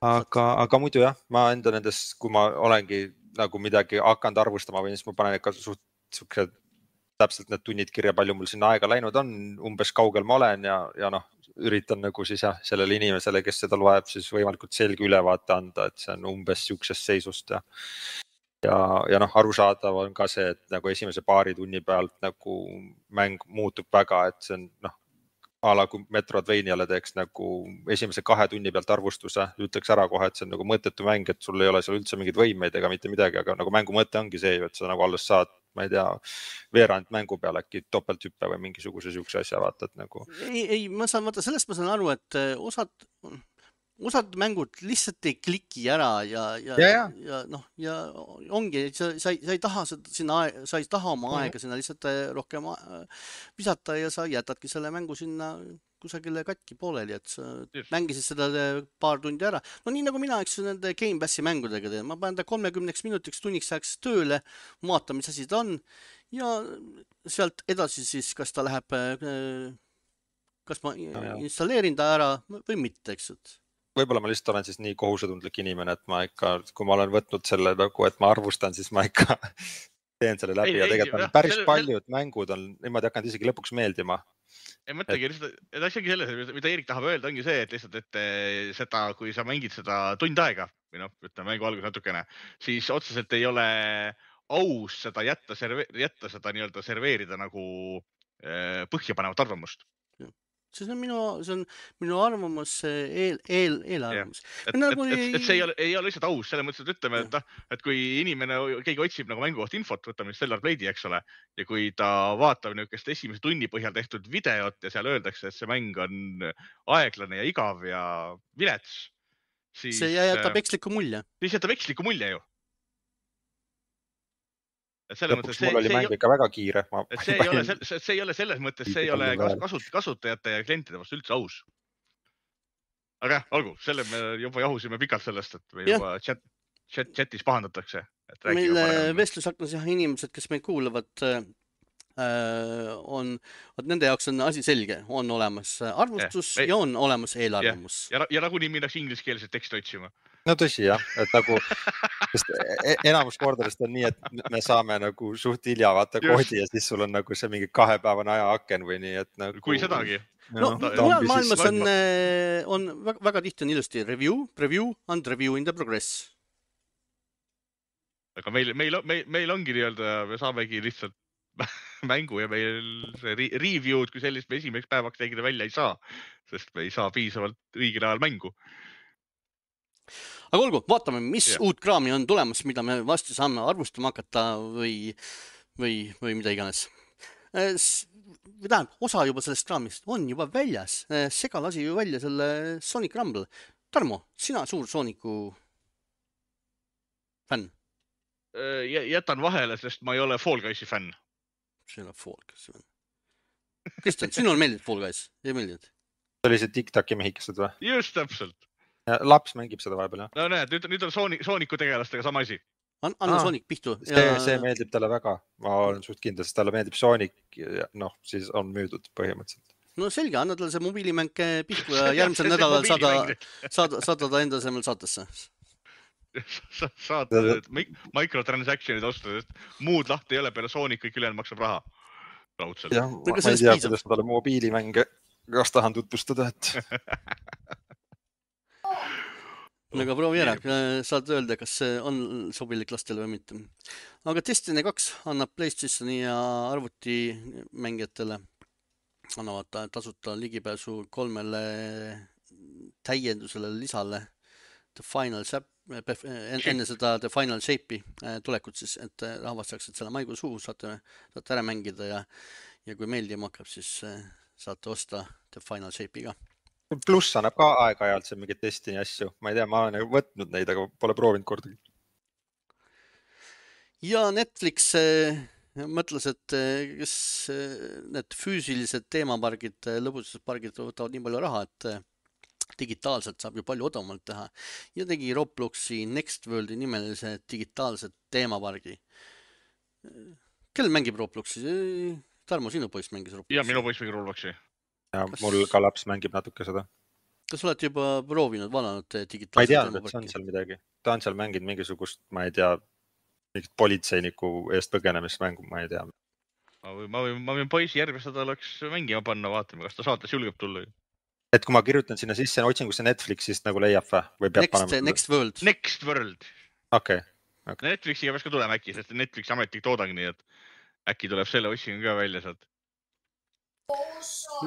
Aga, aga muidu jah, ma enda nendes, kui ma olengi nagu midagi hakanud arvustama või siis ma panen ikka suht, suhted täpselt need tunnid kirja, palju mul sinna aega läinud on, umbes kaugel ma olen ja, ja noh, üritan nagu siis jah, sellele inimesele, kes seda loeb, siis võimalikult selge ülevaate anda, et see on umbes siuksest seisust ja ja, ja noh, arusaadav on ka see, et nagu esimese paari tunni pealt nagu mäng muutub väga, et see on noh, ala kui Metroidvaniale teeks nagu esimese kahe tunni pealt arvustuse, ütleks ära kohe, et see on nagu mõttetu mäng, et sul ei ole seal üldse mingeid võimeid ega mitte midagi, aga nagu mängu mõte ongi see, et sa nagu alles saad, ma ei tea, veerand mängu peal äkki topelthüppe või mingisuguse siukse asja vaatad nagu. Ei, ei, ma saan, vaata, sellest ma saan aru, et osad, osad mängud lihtsalt ei kliki ära ja, ja, ja, ja. ja noh, ja ongi, sa, sa, ei, sa ei taha seda sinna, sa ei taha oma aega sinna lihtsalt rohkem visata ja sa jätadki selle mängu sinna kusagile katki pooleli, et sa yes. mängisid seda paar tundi ära. No nii nagu mina, eks nende Game Passi mängudega teen, ma panen ta kolmekümneks minutiks tunniks ajaks tööle, vaatan, mis asi ta on ja sealt edasi siis, kas ta läheb, kas ma no, installeerin ta ära või mitte, eks et võib-olla ma lihtsalt olen siis nii kohusetundlik inimene, et ma ikka, kui ma olen võtnud selle nagu, et ma arvustan, siis ma ikka teen selle läbi ei, ja tegelikult ei, päris selle, paljud selle... mängud on niimoodi hakanud isegi lõpuks meeldima. Ei mõtlegi, et, et asjagi selles, mida Eerik tahab öelda, ongi see, et lihtsalt, et seda, kui sa mängid seda tund aega, või noh, ütleme mängu algus natukene, siis otseselt ei ole aus seda jätta, serve, jätta seda nii-öelda serveerida nagu põhjapanevat arvamust. See on minu, see on minu arvamus, eel, eel, eelarvamus. Et, nagu... et, et, et see ei ole, ei ole lihtsalt aus, selle mõttes, et ütleme, et, et kui inimene, keegi otsib nagu mängu kohta infot, võtame Stellar Blade'i, eks ole, ja kui ta vaatab niisugust esimese tunni põhjal tehtud videot ja seal öeldakse, et see mäng on aeglane ja igav ja vilets, siis... See jätab eksliku mulje. Siis jätab eksliku mulje ju. Lõpuks mul oli mäng ikka väga kiire. Ma... See, ei ole, see, see ei ole selles mõttes, see ei ole kasut, kasutajate ja klientide vastu üldse aus. Aga jah, olgu, selle me juba jahusime pikalt sellest, et me juba chat, chat, chatis pahandatakse. Et meil vestlusaknas jah, inimesed, kes meid kuulavad, on, nende jaoks on asi selge, on olemas arvustus ja, ja on olemas eelarvamus. Ja, ja, ja nagunii minnakse ingliskeelset teksti otsima. No tõsi jah, et nagu sest enamus kordadest on nii, et me saame nagu suht hilja vaata koodi ja siis sul on nagu see mingi kahepäevane ajaaken või nii, et nagu... Kui sedagi. No, no mujal maailmas on, on väga, väga tihti on ilusti review, preview and review in the progress. Aga meil, meil, meil, meil ongi nii-öelda, me saamegi lihtsalt mängu ja meil see review'd, kui sellist me esimeseks päevaks tegida välja ei saa, sest me ei saa piisavalt õigel ajal mängu. Aga olgu, vaatame, mis yeah. uut kraami on tulemas, mida me vastu saame arvustama hakata või, või, või mida iganes. Tähendab, osa juba sellest kraamist on juba väljas. Sega lasi ju välja selle Sonic Rumble. Tarmo, sina suur Sooniku fänn? Jätan vahele, sest ma ei ole Fall Guysi fänn. See on Fall Guys. Kristjan, sinul meeldib Fall Guys? Ei meeldinud? See oli see TikToki mehikesed või? Just täpselt. Ja laps mängib seda vahepeal, jah? No näed, nüüd, nüüd on Sonic, Sooniku tegelastega sama asi. An, anna ah, Sonic pihtu. See, ja... see meeldib talle väga. Ma olen suht kindel, sest talle meeldib Sonic ja noh, siis on müüdud põhimõtteliselt. No selge, anna talle see mobiilimäng pihtu ja järgmisel nädalal saada, saada, saada ta enda asemel saatesse. Sa, saad microtransactionid osta, sest muud lahti ei ole peale Sonic, kõik ülejäänud maksab raha. Raudselt. Ja, ma, ma ei tea, kuidas ma talle mobiilimänge kas tahan tutvustada, et... Aga proovi ära, saad öelda, kas see on sobilik lastele või mitte. Aga Destiny kaks annab PlayStationi ja arvuti mängijatele annavad tasuta ligipääsu kolmele täiendusele lisale The Final Shape, enne seda The Final Shape'i tulekut siis, et rahvas saaks selle maigu suhu, saate, saate ära mängida ja, ja kui meeldima hakkab, siis saate osta The Final Shape'i ka. Pluss annab ka aeg-ajalt see mingit Destiny asju. Ma ei tea, ma olen võtnud neid, aga pole proovinud kordagi. Ja Netflix mõtles, et kes need füüsilised teemapargid, lõbustuspargid võtavad nii palju raha, et digitaalselt saab ju palju odavamalt teha. Ja tegi Robloxi Next Worldi nimelise digitaalset teemapargi. Kel mängib Robloxi? Tarmo, sinu poiss mängis Robloxi? Ja, minu poiss mängib Robloxi. Ja kas... mul ka laps mängib natuke seda. Kas oled juba proovinud valanud digitaalset? Ma ei teadnud, et see on seal midagi. Ta on seal mänginud mingisugust, ma ei tea, mingit politseiniku eest põgenemismängu, ma ei tea. ma võin, ma võin, ma võin poisi järgmist nädalaks mängima panna, vaatame, kas ta saates julgeb tulla. Et kui ma kirjutan sinna sisse otsingusse Netflixist nagu leiab või? või peab Next, panema... Next World. Next World. Okei. Okay. Okay. Netflixiga peaks ka tulema äkki, sest Netflixi ametlik toodang, nii et äkki tuleb selle otsingu ka välja sealt.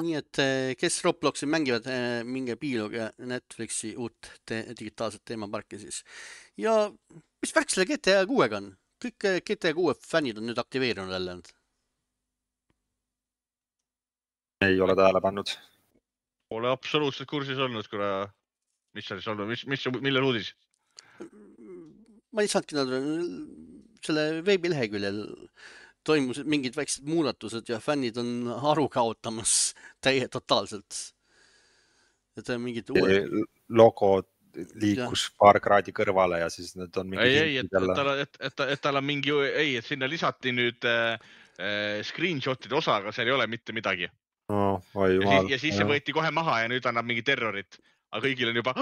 Nii et kes Robloxi mängivad, minge piiluge Netflixi uut te digitaalset teemaparki siis. Ja mis värk selle G T A kuuega on? Kõik G T A kuue fännid on nüüd aktiveerinud jälle. Ei ole tähele pannud. Pole absoluutselt kursis olnud, kuna mis on siis olnud, mis, mis, millel uudis? Ma ei saanudki nad selle veebileheküljel toimus mingid väiksed muudatused ja fännid on aru kaotamas täie totaalselt. Et mingid uued... Logo liikus ja. paar kraadi kõrvale ja siis need on mingi... Ei, ei, et, et, tal, et, et, et tal on mingi... Ei, et sinna lisati nüüd äh, screenshotide osa, aga seal ei ole mitte midagi. No, oi, ja, siis, ja siis see võeti kohe maha ja nüüd annab mingi terrorit. Aga kõigil on juba...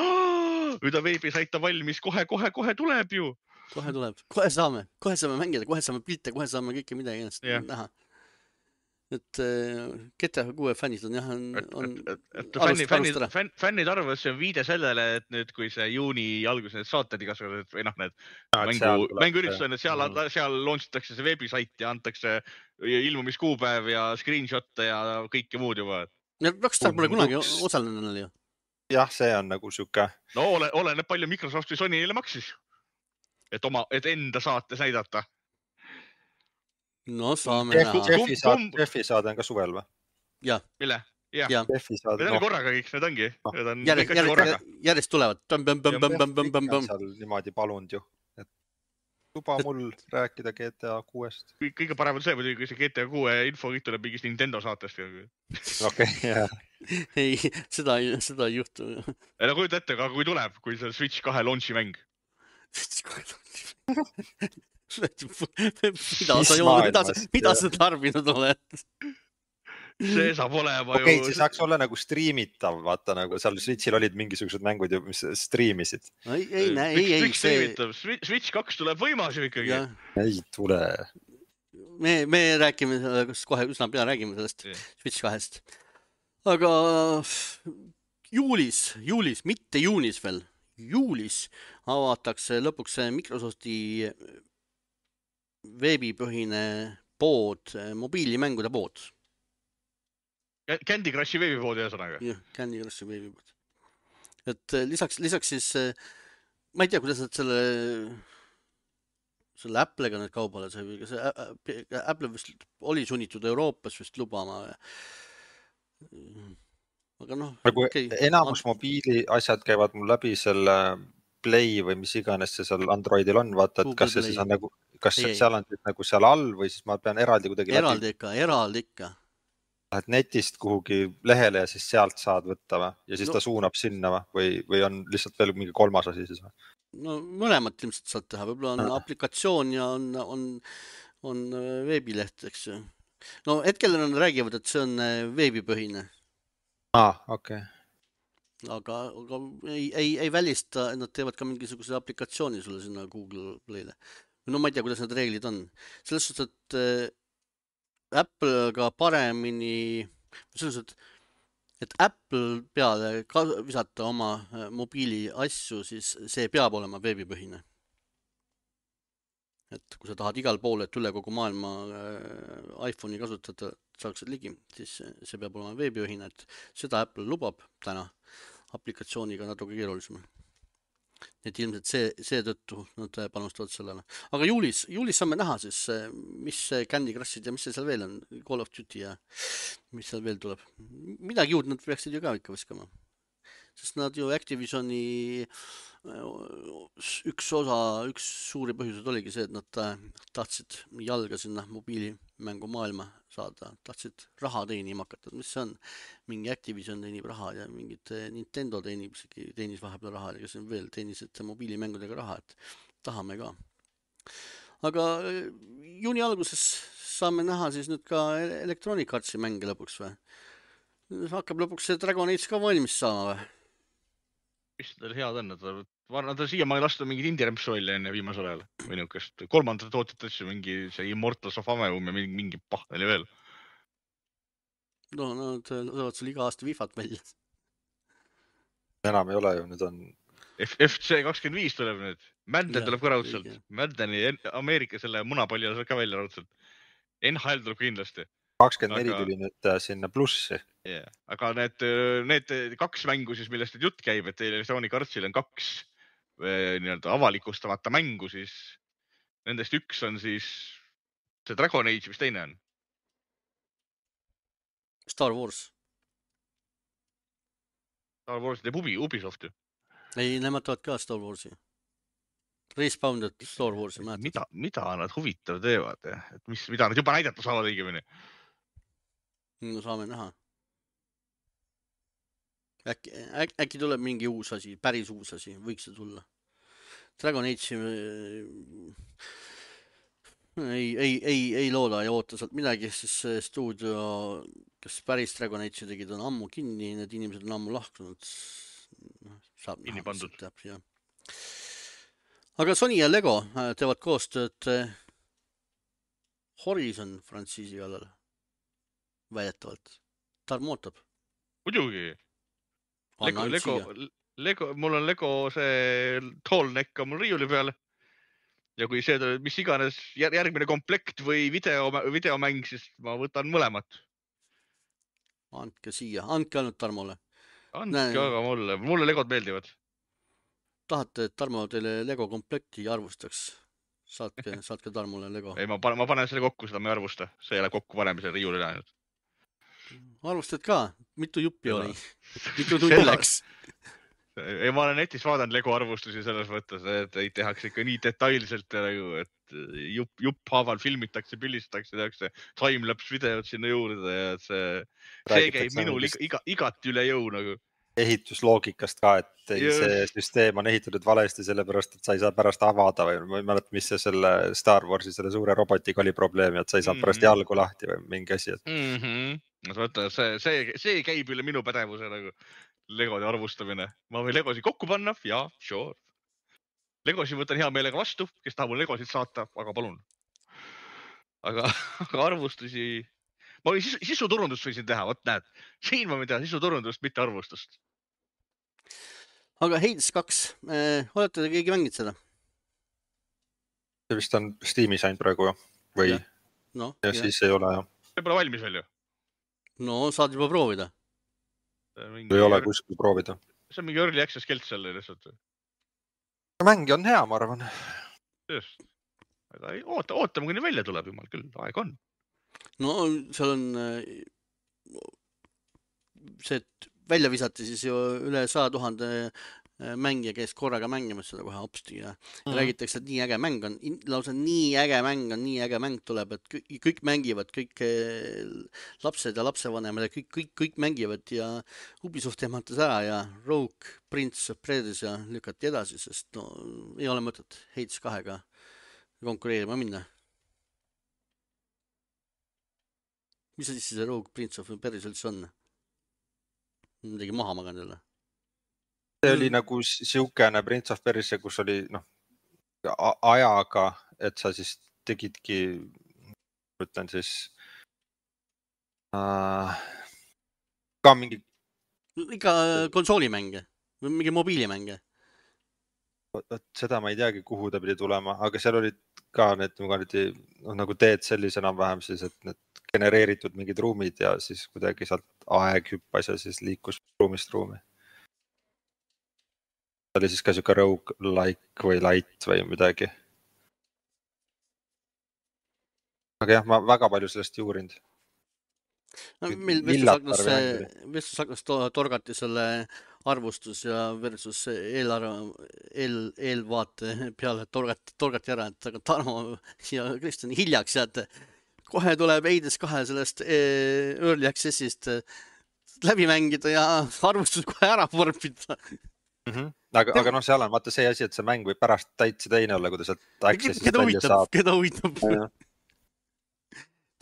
Nüüd on veebisaita valmis, kohe, kohe, kohe tuleb ju. Kohe tuleb, kohe saame, kohe saame mängida, kohe saame pilte, kohe saame kõike midagi ennast yeah. näha. Et G T A kuue fännid on jah, on, on et, et, et fännid, fännid, fänn, fännid arvavad, see on viide sellele, et nüüd kui see juuni alguses need saated igasugused või noh, need no, mängu, mänguüritused on, et seal, mm. seal launchitakse see veebisait ja antakse ilmumiskuupäev ja screenshot'e ja kõike muud juba. Rockstar pole kunagi osalenud ju. Jah, see on nagu siuke. No ole, oleneb palju Microsoft või Sony neile maksis. Et, oma, et enda saates näidata. No saame Jeffi, näha. Jeffi, saad, Jeffi saade on ka suvel või? Ja. Mille? Ja. ja. Jeffi saade. Need on no. korraga kõik, need ongi. Need on järjest, järjest, korraga. järjest tulevad. Bam, bam, bam, bam, bam, bam, bam. Seal niimoodi palunud ju. Et luba mul rääkida G T A kuuest. Kõige parem on see, kui see G T A kuue info kõik tuleb mingist Nintendo saatest. Okei, jah. Ei, seda, seda ei juhtu. Ei, no kujuta ette, aga kui tuleb, kui see Switch kahe launchi mäng. mida sa jood, mida, mida sa tarbinud oled? See saab olema okay, ju... see saaks olla nagu striimitav, vaata nagu seal Switchil olid mingisugused mängud ju, mis striimisid. Ei, ei, näe, ei, ei. See... Switch kaks tuleb võimas ju ikkagi. Ja. Ei tule. Me, me räägime, kohe üsna pea räägime sellest yeah. Switch kahest. Aga juulis, juulis, mitte juunis veel, juulis avatakse lõpuks Microsofti veebipõhine pood, mobiilimängude pood. Candy Crushi veebipood ühesõnaga. Jah, Candy Crushi veebipood. Et lisaks, lisaks siis, ma ei tea, kuidas nad selle, selle Apple'ga need kaubale sai, see Apple vist oli sunnitud Euroopas vist lubama. Aga noh, nagu okay. Enamus mobiili asjad käivad mul läbi selle Play või mis iganes see seal Androidil on, vaata, et Google kas see Play. Siis on nagu, kas ei, seal on nagu seal all või siis ma pean eraldi kuidagi eraldi läbi. Ikka, eraldi ikka. Lähed netist kuhugi lehele ja siis sealt saad võtta või? Ja siis no. Ta suunab sinna või, või on lihtsalt veel mingi kolmas asi siis või? No mõlemat ilmselt saad teha, võib-olla on no. aplikatsioon ja on, on, on veebileht, eks ju. No hetkel on räägivad, et see on veebipõhine. Ah, okei. Okay. Aga, aga ei, ei, ei välista, nad teevad ka mingisuguse aplikatsiooni sulle sinna Google Play'le. No ma ei tea, kuidas need reeglid on. Selles suhtes, et äh, Apple ka paremini, selles suhtes, et Apple peale ka visata oma äh, mobiili asju, siis see peab olema veebipõhine. Et kui sa tahad igal pool, et üle kogu maailma äh, iPhone'i kasutada saaks ligi, siis see peab olema veebipõhine, et seda Apple lubab täna aplikatsiooniga natuke keerulisem. Et ilmselt see, see tõttu nad panustavad sellele. Aga juulis, juulis saame näha siis, mis Candy Crushid ja mis see seal veel on, Call of Duty ja mis seal veel tuleb. Midagi juurde nad peaksid ju ka ikka viskama. Sest nad ju Activisioni üks osa, üks suuri põhjused oligi see, et nad tahtsid jalga sinna mobiilimängu maailma saada, tahtsid raha teenima hakata, mis see on? Mingi Activision teenib raha ja mingid Nintendo teenib, teenis vahepeal raha ja kes on veel, teenisid mobiilimängudega raha, et tahame ka. Aga juuni alguses saame näha siis nüüd ka Electronic Artsi mänge lõpuks või? Hakkab lõpuks see Dragon Age ka valmis saama või? mis tal head on, nad on siia ma ei lastu mingid indie-rämpsu välja enne viimasel ajal või niukest kolmandat tootet asju, mingi see Immortals of Ameum ja mingi, mingi pahteli veel. No nad tulevad sul iga aasta vifat välja. Enam ei ole ju, nüüd on F C kakskümmend viis tuleb nüüd. Madden tuleb ka raudselt. Maddeni Ameerika selle munapalli saab ka välja raudselt. N H L tuleb kindlasti. kakskümmend neli aga... tuli nüüd sinna plussi. Yeah. Aga need, need kaks mängu siis, millest nüüd jutt käib, et Electronic Artsil on kaks nii-öelda avalikustamata mängu, siis nendest üks on siis see Dragon Age, mis teine on? Star Wars. Star Wars teeb Ubi, Ubisoft ju. Ei, nemad teevad ka Star Warsi. Respawned Star Warsi. Mida, mida nad huvitav teevad? Et mis, mida nad juba näidata saavad õigemini? No saame näha. Äkki, äk, äkki tuleb mingi uus asi, päris uus asi, võiks see tulla. Dragon Age ei, ei, ei, ei looda ja oota sealt midagi, siis stuudio, kes päris Dragon Age tegid, on ammu kinni, need inimesed on ammu lahkunud. Saab kinni pandud. Jah. Aga Sony ja Lego teevad koostööd Horizon frantsiisi kallal. Väidetavalt. Tarmo ootab. Muidugi. Lego, Lego, Lego, mul on Lego see tall neck on mul riiuli peal. Ja kui see tuleb, mis iganes järgmine komplekt või video, videomäng, siis ma võtan mõlemat. Andke siia, andke ainult Tarmole. Andke Näe. Aga mulle, mulle Legod meeldivad. Tahate, et Tarmo teile Lego komplekti arvustaks? Saatke, saatke Tarmole Lego. Ei, ma panen, ma panen selle kokku, seda ma ei arvusta. See ei ole kokku panemise riiuli läinud. Arvustad ka? Mitu juppi oli? Mitu tundi läks? Ei, ma olen netis vaadanud Lego arvustusi selles mõttes, et ei tehakse ikka nii detailselt, et jupp, jupp haaval filmitakse, pillistatakse, tehakse timelapse videod sinna juurde ja see, see käib minul iga, igat üle jõu nagu. Ehitusloogikast ka, et see süsteem on ehitatud valesti sellepärast, et sa ei saa pärast avada või ma ei mäleta, mis see selle Star Warsi selle suure robotiga oli probleemi, et sa ei saa pärast mm -hmm. jalgu lahti või mingi asi. Et... Mm -hmm. Võtta, see, see, see käib üle minu pädevuse nagu Legode arvustamine. Ma võin Legosid kokku panna, jaa, sure. Legosid võtan hea meelega vastu, kes tahab mul Legosid saata, aga palun. Aga, aga arvustusi... Ma võin sisu, sisuturundust võisin teha, võt näed. Siin ma võin teha sisuturundust, mitte arvustust. Aga Hades kaks, äh, olete te keegi mängid seda? See vist on Steamis ainult praegu või? Ja, no, ja, ja siis ei ole, jah. See pole valmis veel ju? No, saad juba proovida. Mingi... Ei ole kuskil proovida. See on mingi early access kelt seal lihtsalt. Mängi on hea, ma arvan. Just. Aga ei, oota, ootame, kuni välja tuleb jumal küll, aeg on. No, seal on see, et välja visati siis ju üle sada tuhande mängija, kes korraga mängimas seda kohe hopsti ja mm. räägitakse, et nii äge mäng on, lausa nii äge mäng on, nii äge mäng tuleb, et kõik, kõik mängivad, kõik lapsed ja lapsevanemad ja kõik, kõik, kõik mängivad ja Ubisoft ehmatas ära ja Rogue, Prince of Persia ja lükati edasi, sest no ei ole mõtet Hades kahega konkureerima minna. Mis see siis see Rogue, Prince of Persia üldse on? Midagi maha maganud jälle. See oli nagu siukene Prince of Persia, kus oli noh, ajaga, et sa siis tegidki, ütlen siis, äh, ka mingi... Ikka konsoolimänge või mingi mobiilimänge? Seda ma ei teagi, kuhu ta pidi tulema, aga seal olid ka need no, nagu teed sellise enam-vähem siis, et need genereeritud mingid ruumid ja siis kuidagi sealt aeg hüppas ja siis liikus ruumist ruumi. See oli siis ka siuke roguelike või light või midagi. Aga jah, ma väga palju sellest ei uurinud. No, meil vestlusaknas torgati selle arvustus ja versus eelarve, eel, eelvaate peale torgati, torgati ära, et aga Tarmo ja Kristjan hiljaks ja et kohe tuleb Hades kahe sellest early accessist läbi mängida ja arvustus kohe ära vorpida. Mm-hmm. Aga, aga noh, seal on vaata see asi, et see mäng võib pärast täitsa teine olla, kui ta sealt accessist keda välja saab. Keda huvitab?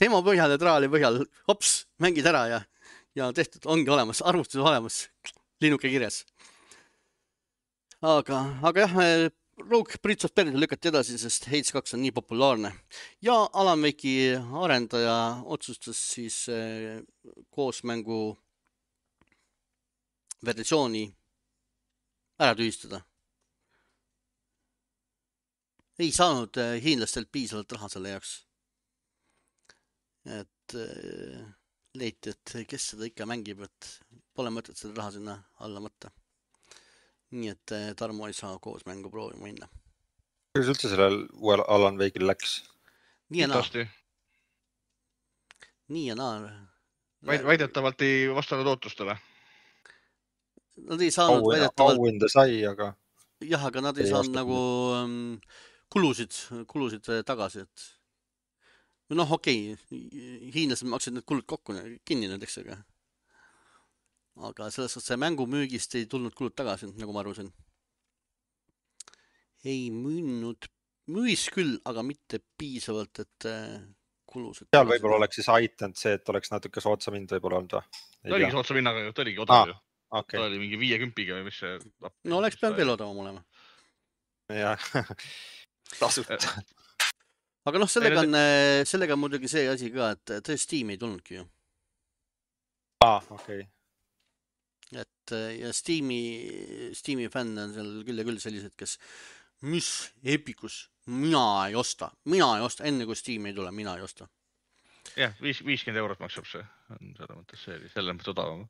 Tema põhjal ja traali põhjal, hops, mängid ära ja, ja tehtud, ongi olemas, arvustus olemas, linnuke kirjas. aga, aga jah, Rogue Bridge of Peril lükati edasi, sest Hades kaks on nii populaarne ja Alan Wake'i arendaja otsustas siis eh, koosmängu versiooni ära tühistada. Ei saanud eh, hiinlastelt piisavalt raha selle jaoks. Et eh, leiti, et kes seda ikka mängib, et pole mõtet seda raha sinna alla võtta. Nii et Tarmo ei saa koos mängu proovima minna. Kuidas üldse sellel uuel Alan Wake'il läks? Nii ja naa. Tõesti. Nii ja naa. Väid- Väidetavalt ei vastanud ootustele. Nad ei saanud Au- väidetavalt... Auhinda sai, aga... Jah, aga nad ei, ei saanud nagu um, kulusid, kulusid tagasi, et... Noh, okei, hiinlased maksid need kulud kokku, kinni näiteks, aga... Aga selles suhtes see mängu müügist ei tulnud kulud tagasi, nagu ma arusin. Ei müünud, müüs küll, aga mitte piisavalt, et kulusid... Seal võib-olla oleks siis aitanud see, et oleks natuke sootsa mind võib-olla olnud või? Ta oligi sootsa minnaga, ta oligi odav ju. Okay. Ta oli mingi viiekümpiga või mis see... No oleks peanud veel odavam olema. Jah, tasuta. Aga noh, sellega on, sellega on muidugi see asi ka, et tõe Steam ei tulnudki ju. Aa, okei. Okay. Et ja Steam'i, Steam'i fänn on seal küll ja küll sellised, kes mis Epicus, mina ei osta, mina ei osta, enne kui Steam ei tule, mina ei osta. Jah, viiskümmend eurot maksab see, on selle mõttes see, selle mõttes odavam.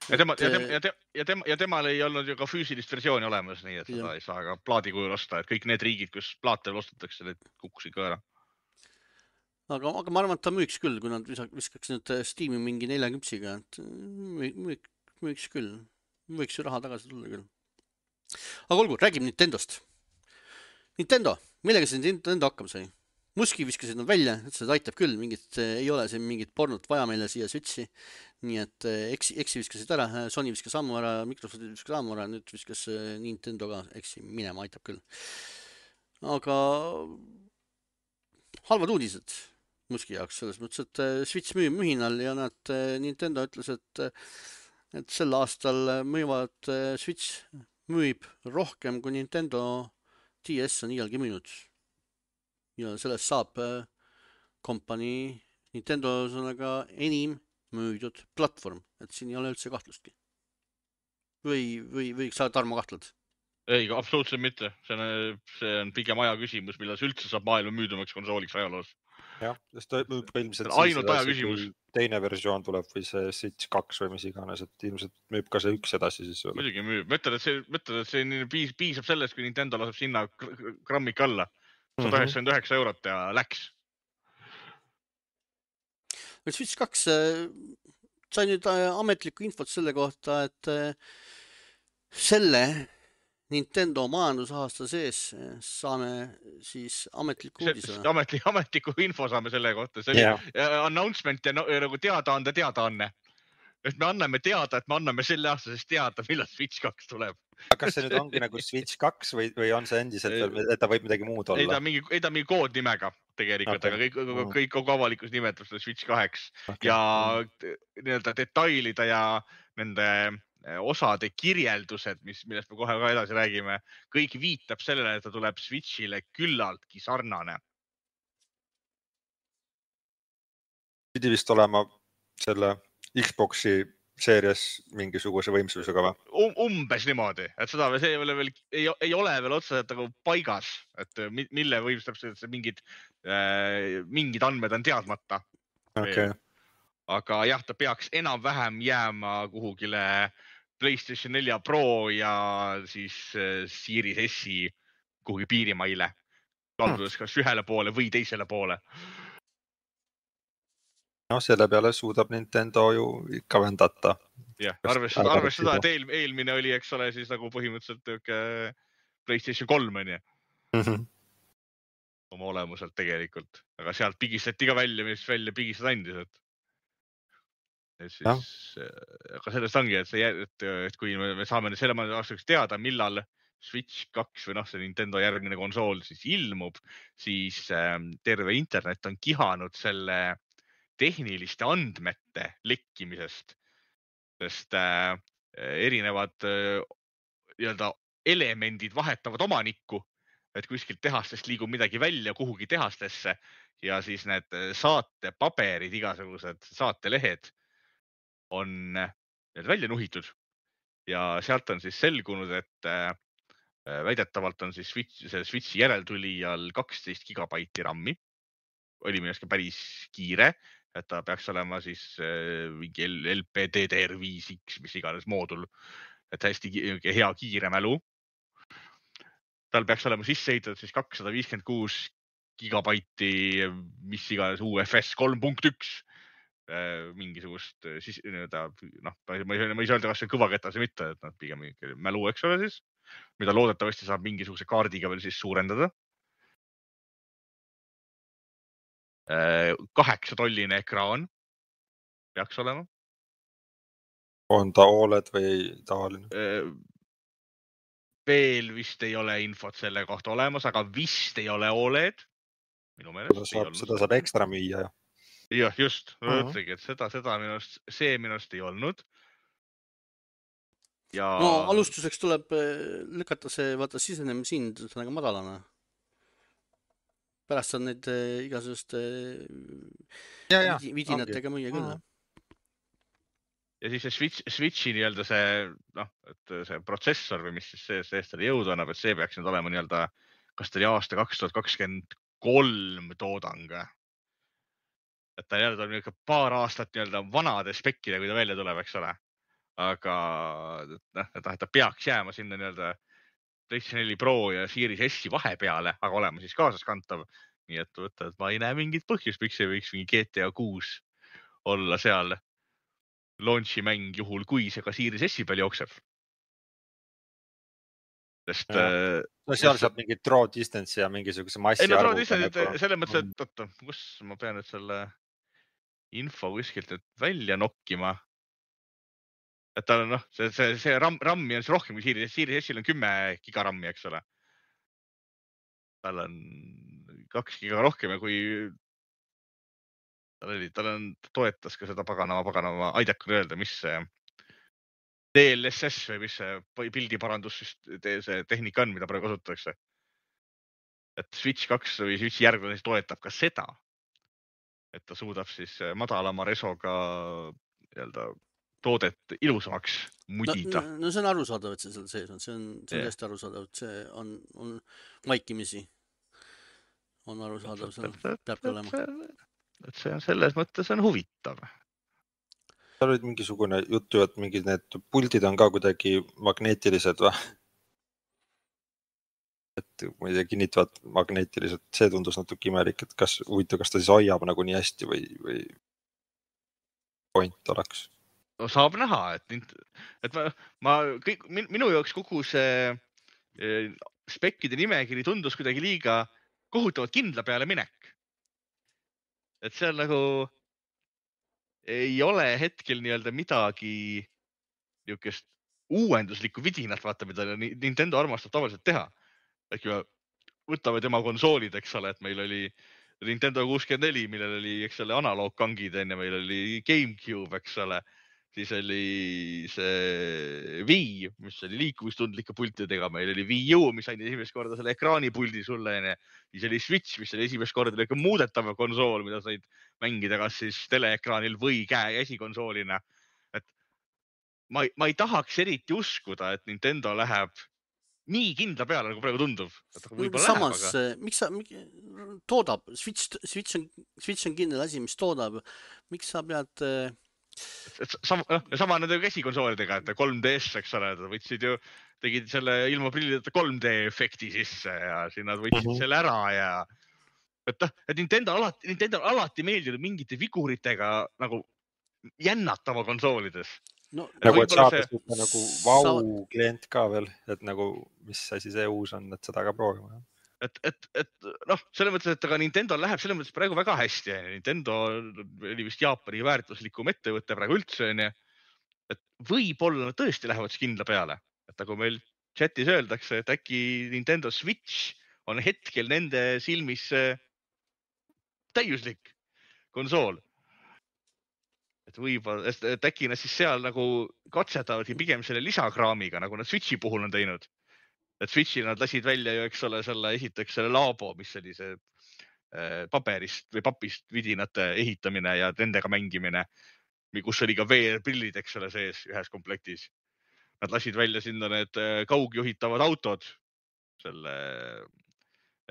Ja, tema, ja, tema, ja, tema, ja, tema, ja temal ei olnud ju ka füüsilist versiooni olemas, nii et seda ja. Ei saa ka plaadi kujul osta, et kõik need riigid, kus plaate veel ostetakse, need kukkusid ka ära. Aga, aga ma arvan, et ta müüks küll, kui nad viskaks nüüd Steam'i mingi neljaküpsiga, et müük, müüks küll. Võiks ju raha tagasi tulla küll. Aga olgu, räägime Nintendost. Nintendo, millega see Nintendo hakkama sai? Muski viskasid nad välja, et seda aitab küll, mingit, ei ole siin mingit pornot vaja meile siia Switchi. Nii et X, X viskasid ära, Sony viskas ammu ära, Microsoft viskas ammu ära, nüüd viskas Nintendo ka X minema, aitab küll. Aga halvad uudised Muski jaoks selles mõttes, et Switch müüb mühinal ja nad Nintendo ütles, et et sel aastal müüvad Switch müüb rohkem kui Nintendo D S on iialgi müünud. Ja sellest saab kompanii Nintendo sõnaga enim müüdud platvorm, et siin ei ole üldse kahtlustki. Või, või, või sa Tarmo kahtled? Ei, absoluutselt mitte. See on, see on pigem aja küsimus, millal see üldse saab maailma müüdumaks konsooliks ajaloos. Jah, sest ilmselt ainult aja küsimus. Teine versioon tuleb või see Switch kaks või mis iganes, et ilmselt müüb ka see üks edasi siis. Muidugi müüb. Mõtled, et see, mõtled, et see piis, piisab sellest, kui Nintendo laseb sinna grammik alla. sada üheksakümmend üheksa eurot ja läks. Switch kaks sai nüüd ametlikku infot selle kohta, et selle Nintendo majandusaasta sees saame siis ametliku uudise. Ametliku, ametliku info saame selle kohta. See oli yeah. announcement ja nagu teadaande teadaanne. Et me anname teada, et me anname selle aastasest teada, millal Switch kaks tuleb. Kas see nüüd ongi nagu Switch kaks või, või on see endiselt veel, et ta võib midagi muud olla? Ei ta mingi, ei ta mingi koodnimega tegelikult, okay. Aga kõik, kõik kogu avalikus nimetab seda Switch kaks. Okay. Ja nii-öelda detailida ja nende osade kirjeldused, mis, millest me kohe ka edasi räägime, kõik viitab sellele, et ta tuleb Switchile küllaltki sarnane. Pidi vist olema selle Xboxi seerias mingisuguse võimsusega või? Um, umbes niimoodi, et seda see ei ole veel, ei, ei ole veel otseselt nagu paigas, et mille võimsustab see mingid, äh, mingid andmed on teadmata. Okay. Aga jah, ta peaks enam-vähem jääma kuhugile PlayStation nelja Pro ja siis Series S-i kuhugi piirimaile. Kaldudes kas ühele poole või teisele poole. No selle peale suudab Nintendo ju ikka vendata. Jah, arvestada, arvestada, et eel, eelmine oli, eks ole, siis nagu põhimõtteliselt PlayStation kolm on ju. Mm-hmm. Oma olemuselt tegelikult. Aga sealt pigistati ka välja, mis välja pigistada andis, et Et siis, no. Aga sellest ongi, et, see, et, et kui me saame selle aastaks teada, millal Switch kaks või noh, see Nintendo järgmine konsool siis ilmub, siis äh, terve internet on kihanud selle tehniliste andmete lekkimisest, sest äh, erinevad äh, nii-öelda elemendid vahetavad omanikku, et kuskilt tehastest liigub midagi välja kuhugi tehastesse ja siis need saatepaberid, igasugused saatelehed on välja nuhitud ja sealt on siis selgunud, et väidetavalt on siis Switch, see Switchi järeltulijal kaksteist gigabaiti rammi. Oli minu arust päris kiire, et ta peaks olema siis mingi L P D D R viis X, mis iganes moodul, et hästi hea kiire mälu. Tal peaks olema sisse ehitatud siis kakssada viiskümmend kuus gigabaiti, mis iganes U F S kolm punkt üks mingisugust siis, noh, ma ei saa öelda, kas see on kõvaketas või mitte, et nad pigem mälu, eks ole siis, mida loodetavasti saab mingisuguse kaardiga veel siis suurendada. Kaheksa tolline ekraan peaks olema. On ta O L E D või tavaline? Veel vist ei ole infot selle kohta olemas, aga vist ei ole O L E D. Minu meelest saab, seda saab ekstra müüa. Jah, just. Ma mõtlegi, et seda, seda minust, see minust ei olnud. Ja... No alustuseks tuleb lükata see, vaata, sisenemisind väga madalana. Pärast on need igasugust vidinatega müüa küll. Ja siis see Switch, Switchi nii-öelda see, noh, et see protsessor või mis siis see, see selle jõudu annab, et see peaks nüüd olema nii-öelda, kas ta oli aasta kaks tuhat kakskümmend kolm toodang. Et ta nii-öelda on nii-öelda paar aastat nii-öelda vanade spekkide, kui ta välja tuleb, eks ole. Aga noh, et ta peaks jääma sinna nii-öelda PlayStation neli Pro ja Series S vahepeale, aga olema siis kaasaskantav. Nii et võtta, et ma ei näe mingit põhjust, miks ei võiks mingi G T A kuus olla seal launchi mäng juhul, kui see ka Series S peal jookseb. Sest... No seal saab mingi draw distance ja mingisuguse massi ei, no draw distance, selle mõttes, et oota, kus ma pean nüüd selle info kuskilt nüüd välja nokkima. Et tal on, noh, see, see, see RAM, rammi on rohkem kui Series, Series S-il on kümme gigarammi, eks ole. Tal on kaks giga rohkem ja kui tal oli, tal on, toetas ka seda paganama, paganama, aidakun öelda, mis see D L S S või mis see pildiparandus see tehnika on, mida praegu kasutatakse. Et Switch kaks või Switchi järgmine toetab ka seda, et ta suudab siis madalama resoga nii-öelda toodet ilusamaks mudida. No, no see on arusaadav, et see seal sees on. See on, see on hästi arusaadav, et see on, on vaikimisi. On arusaadav, see peabki olema. Et see on selles mõttes on huvitav. Seal olid mingisugune juttu, et mingid need puldid on ka kuidagi magneetilised või? Et ma ei tea, kinnitavad magneetiliselt. See tundus natuke imelik, et kas huvitav, kas ta siis hoiab nagu nii hästi või, või point oleks. No, saab näha, et, et ma, ma kõik, minu jaoks kogu see spekkide nimekiri tundus kuidagi liiga kohutavalt kindla peale minek. Et see on nagu ei ole hetkel nii-öelda midagi niisugust uuenduslikku vidinat, vaata, mida Nintendo armastab tavaliselt teha. Äkki võtame tema konsoolid, eks ole, et meil oli Nintendo kuuskümmend neli, millel oli, eks ole, analoogkangid enne, meil oli GameCube, eks ole. Siis oli see Wii, mis oli liikuvistundlike pultidega, meil oli Wii U, mis andis esimest korda selle ekraanipuldi sulle, enne. Siis oli Switch, mis oli esimest korda muudetav konsool, mida said mängida kas siis teleekraanil või käe esikonsoolina. Et ma, ma ei tahaks eriti uskuda, et Nintendo läheb nii kindla peale, nagu praegu tundub. Samas, läheb, aga... miks sa toodab, Switch, Switch, on, Switch on kindel asi, mis toodab. Miks sa pead... Sama, sama nende käsikonsoolidega, et kolm D S, eks ole, võtsid ju, tegid selle ilma prillideta kolm D efekti sisse ja siin nad võtsid uh-huh. selle ära ja et, et Nintendo alati, Nintendo alati meeldinud mingite figuritega nagu jännatava konsoolides. No, nagu et saada see... nagu vau klient ka veel, et nagu mis asi see uus on, et seda ka proovima. Et, et, et noh, selle mõttes, et aga Nintendo läheb selle mõttes praegu väga hästi. Nintendo oli vist Jaapani väärtuslikum ettevõtte praegu üldse. Et võib-olla tõesti lähevad kindla peale. Et nagu meil chatis öeldakse, et äkki Nintendo Switch on hetkel nende silmis täiuslik konsool. Et võib-olla, et äkki nad siis seal nagu katsetavadki pigem selle lisakraamiga, nagu nad Switchi puhul on teinud. et Switch'i nad lasid välja ju, eks ole, selle esiteks selle Labo, mis oli see paberist või papist vidinate ehitamine ja nendega mängimine, kus oli ka V R-prillid, eks ole, sees ühes komplektis. Nad lasid välja sinna need kaugjuhitavad autod selle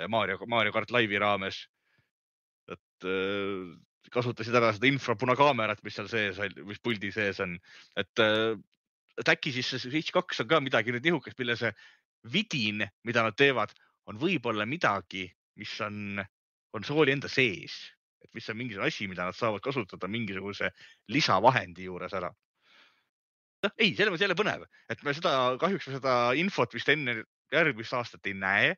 Mario, Mario Kart Live'i raames. Et kasutasid ära seda infrapunakaamerat, mis seal sees, mis puldi sees on. Et, et äkki siis see Switch kaks on ka midagi nüüd nihukest, mille see vidin, mida nad teevad, on võib-olla midagi, mis on konsooli enda sees, et mis on mingisugune asi, mida nad saavad kasutada mingisuguse lisavahendi juures ära. No, ei, selle mõttes jälle põnev, et me seda, kahjuks me seda infot vist enne järgmist aastat ei näe,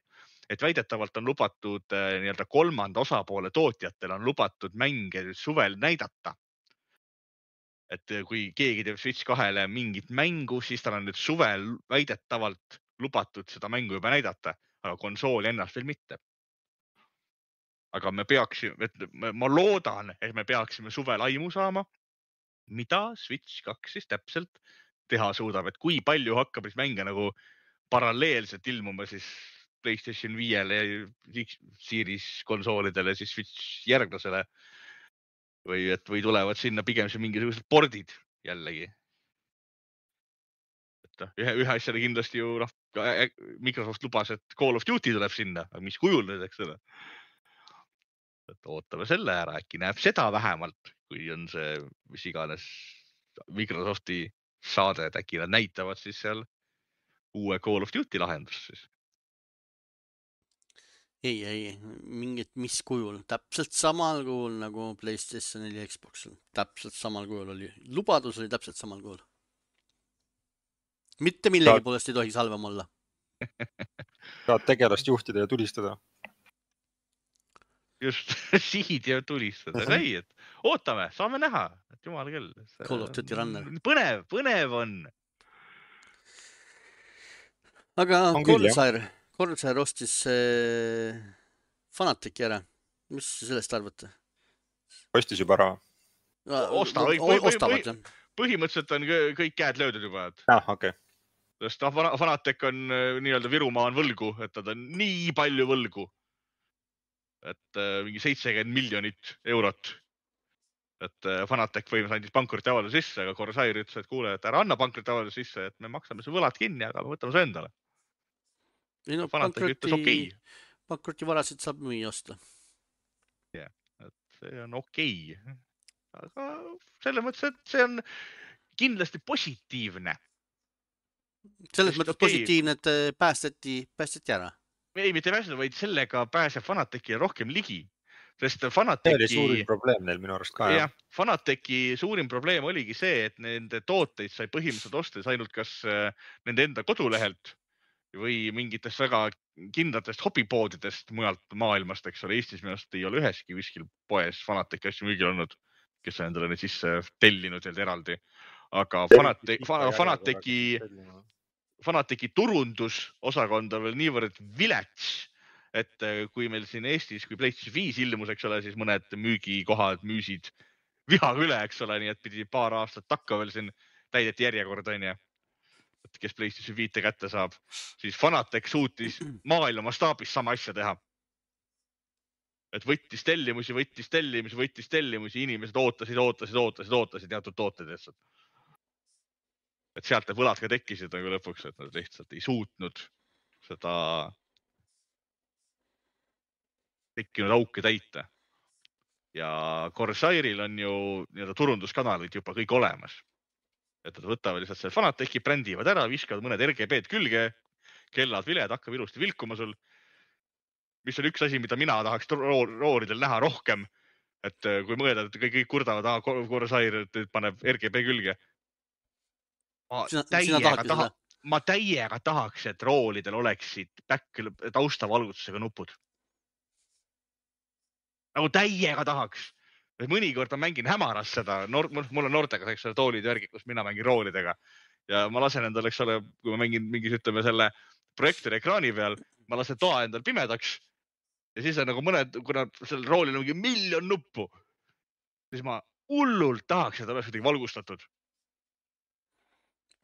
et väidetavalt on lubatud nii-öelda kolmanda osapoole tootjatel on lubatud mänge suvel näidata. Et kui keegi teeb Switch kahele mingit mängu, siis tal on nüüd suvel väidetavalt lubatud seda mängu juba näidata, aga konsooli ennast veel mitte. Aga me peaksime, et ma loodan, et me peaksime suvel aimu saama, mida Switch kaks siis täpselt teha suudab, et kui palju hakkab siis mänge nagu paralleelselt ilmuma siis PlayStation viiele ja Series konsoolidele, siis Switch järglasele või, et, või tulevad sinna pigem see mingisugused pordid jällegi. Et ühe, ühe asjale kindlasti ju noh, Microsoft lubas, et Call of Duty tuleb sinna, aga mis kujul nüüd, eks ole? Et ootame selle ära, äkki näeb seda vähemalt, kui on see, mis iganes Microsofti saade, et äkki nad näitavad siis seal uue Call of Duty lahendust siis. Ei, ei, mingit mis kujul, täpselt samal kujul nagu PlayStation neli Xboxil, täpselt samal kujul oli, lubadus oli täpselt samal kujul. Mitte millegi Ta... poolest ei tohiks halvem olla. Saad tegelast juhtida ja tulistada. Just, sihid ja tulistada. Ei, et ootame, saame näha, et jumal küll. Call of Duty Runner. Põnev, põnev on. Aga Corsair, Corsair ostis äh, Fanatiki ära. Mis sellest arvate? Ostis juba ära. Osta, või, või, või, või, põhimõtteliselt on kõik käed löödud juba. Et... Ah, okei. Okay. Sest Fanatek on nii-öelda Virumaa on võlgu, et ta on nii palju võlgu. Et mingi seitsekümmend miljonit eurot. Et Fanatec võimas andis pankruti avalduse sisse, aga Corsair ütles, et kuule, et ära anna pankruti avalduse sisse, et me maksame su võlad kinni, aga me võtame su endale. Ei, no, Fanatec ütles okei. Pankruti varasid saab müüa osta. Jah, et see on okei. Aga selle mõttes, et see on kindlasti positiivne. Selles mõttes okay. Positiivne, et päästeti, päästeti ära. Ei, mitte pääseda, vaid sellega pääseb Fanateki rohkem ligi. Sest Fanateki... See oli suurim probleem neil minu arust ka. Ja, Fanateki suurim probleem oligi see, et nende tooteid sai põhimõtteliselt ostes ainult kas nende enda kodulehelt või mingitest väga kindlatest hobipoodidest mujalt maailmast, eks ole. Eestis minust ei ole üheski kuskil poes Fanateki asju müügil olnud, kes on endale neid sisse tellinud eraldi. Aga Fanateki... Fanateki Fanateki turundusosakond on veel niivõrd vilets, et kui meil siin Eestis, kui PlayStation viis ilmus, eks ole, siis mõned müügikohad müüsid vihaga üle, eks ole, nii et pidi paar aastat takka veel siin täideti järjekord, on ja, et kes PlayStation viite kätte saab, siis Fanatec suutis maailma mastaabis sama asja teha. Et võttis tellimusi, võttis tellimusi, võttis tellimusi, inimesed ootasid, ootasid, ootasid, ootasid teatud tooted lihtsalt. Et sealt need võlad ka tekkisid nagu lõpuks, et nad lihtsalt ei suutnud seda tekkinud auke täita. Ja Corsairil on ju nii-öelda turunduskanalid juba kõik olemas. Et nad võtavad lihtsalt selle Fanateki, brändivad ära, viskavad mõned R G B-d külge, kellad viled, hakkab ilusti vilkuma sul. Mis on üks asi, mida mina tahaks rooridel näha rohkem. Et kui mõelda, et kõik, kõik kurdavad, ah, Corsair paneb R G B külge. Ma täiega, taha, ma täiega tahaks, et roolidel oleksid back, taustavalgutusega nupud. Nagu täiega tahaks. Mõnikord ma mängin hämaras seda. Noor, mul on noortega eks ole, toolid järgi, kus mina mängin roolidega. Ja ma lasen endal, eks ole, kui ma mängin mingis, ütleme, selle projektori ekraani peal, ma lasen toa endal pimedaks. Ja siis on nagu mõned, kuna sellel roolil on mingi miljon nuppu, siis ma hullult tahaks, et oleks kuidagi valgustatud.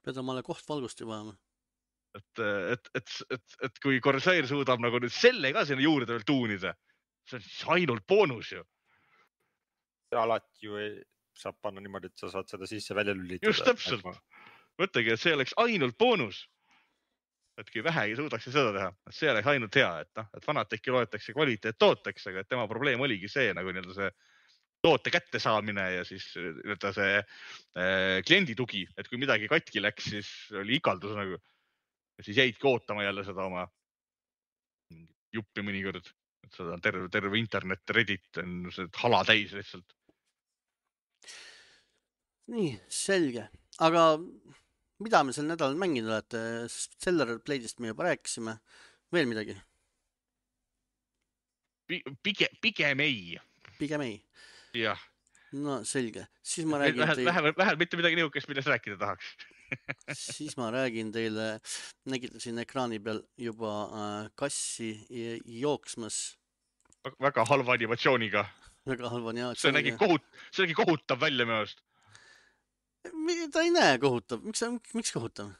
Pead omale koht valgusti vajama. et, et, et, et, et kui Corsair suudab nagu nüüd selle ka sinna juurde veel tuunida, see on siis ainult boonus ju. Alati ju ei, saab panna niimoodi, et sa saad seda sisse välja lülitada. Just täpselt. Mõtlegi, et see oleks ainult boonus. Et kui vähegi suudaks seda teha, et see oleks ainult hea, et, no, et Fanateki loetakse kvaliteet tooteks, aga et tema probleem oligi see nagu nii-öelda see toote kätte saamine ja siis nii-öelda see äh, kliendi tugi, et kui midagi katki läks, siis oli ikaldus nagu. Ja siis jäidki ootama jälle seda oma juppi mõnikord, et seda on terve, terve internet, Reddit on see hala täis lihtsalt. Nii, selge. Aga mida me sel nädalal mänginud olete? Stellar Blade'ist me juba rääkisime. Veel midagi? Pigem, pigem ei. Pigem ei? Jah. No selge. Siis ma räägin vähel, teile... vähel, vähel mitte midagi niukest, millest rääkida tahaks. Siis ma räägin teile, nägite siin ekraani peal juba äh, kassi jooksmas. Väga halva animatsiooniga. Väga halva animatsiooniga. See nägi, kohut, see nägi kohutav välja meelest. Ta ei näe kohutav. Miks, miks kohutav?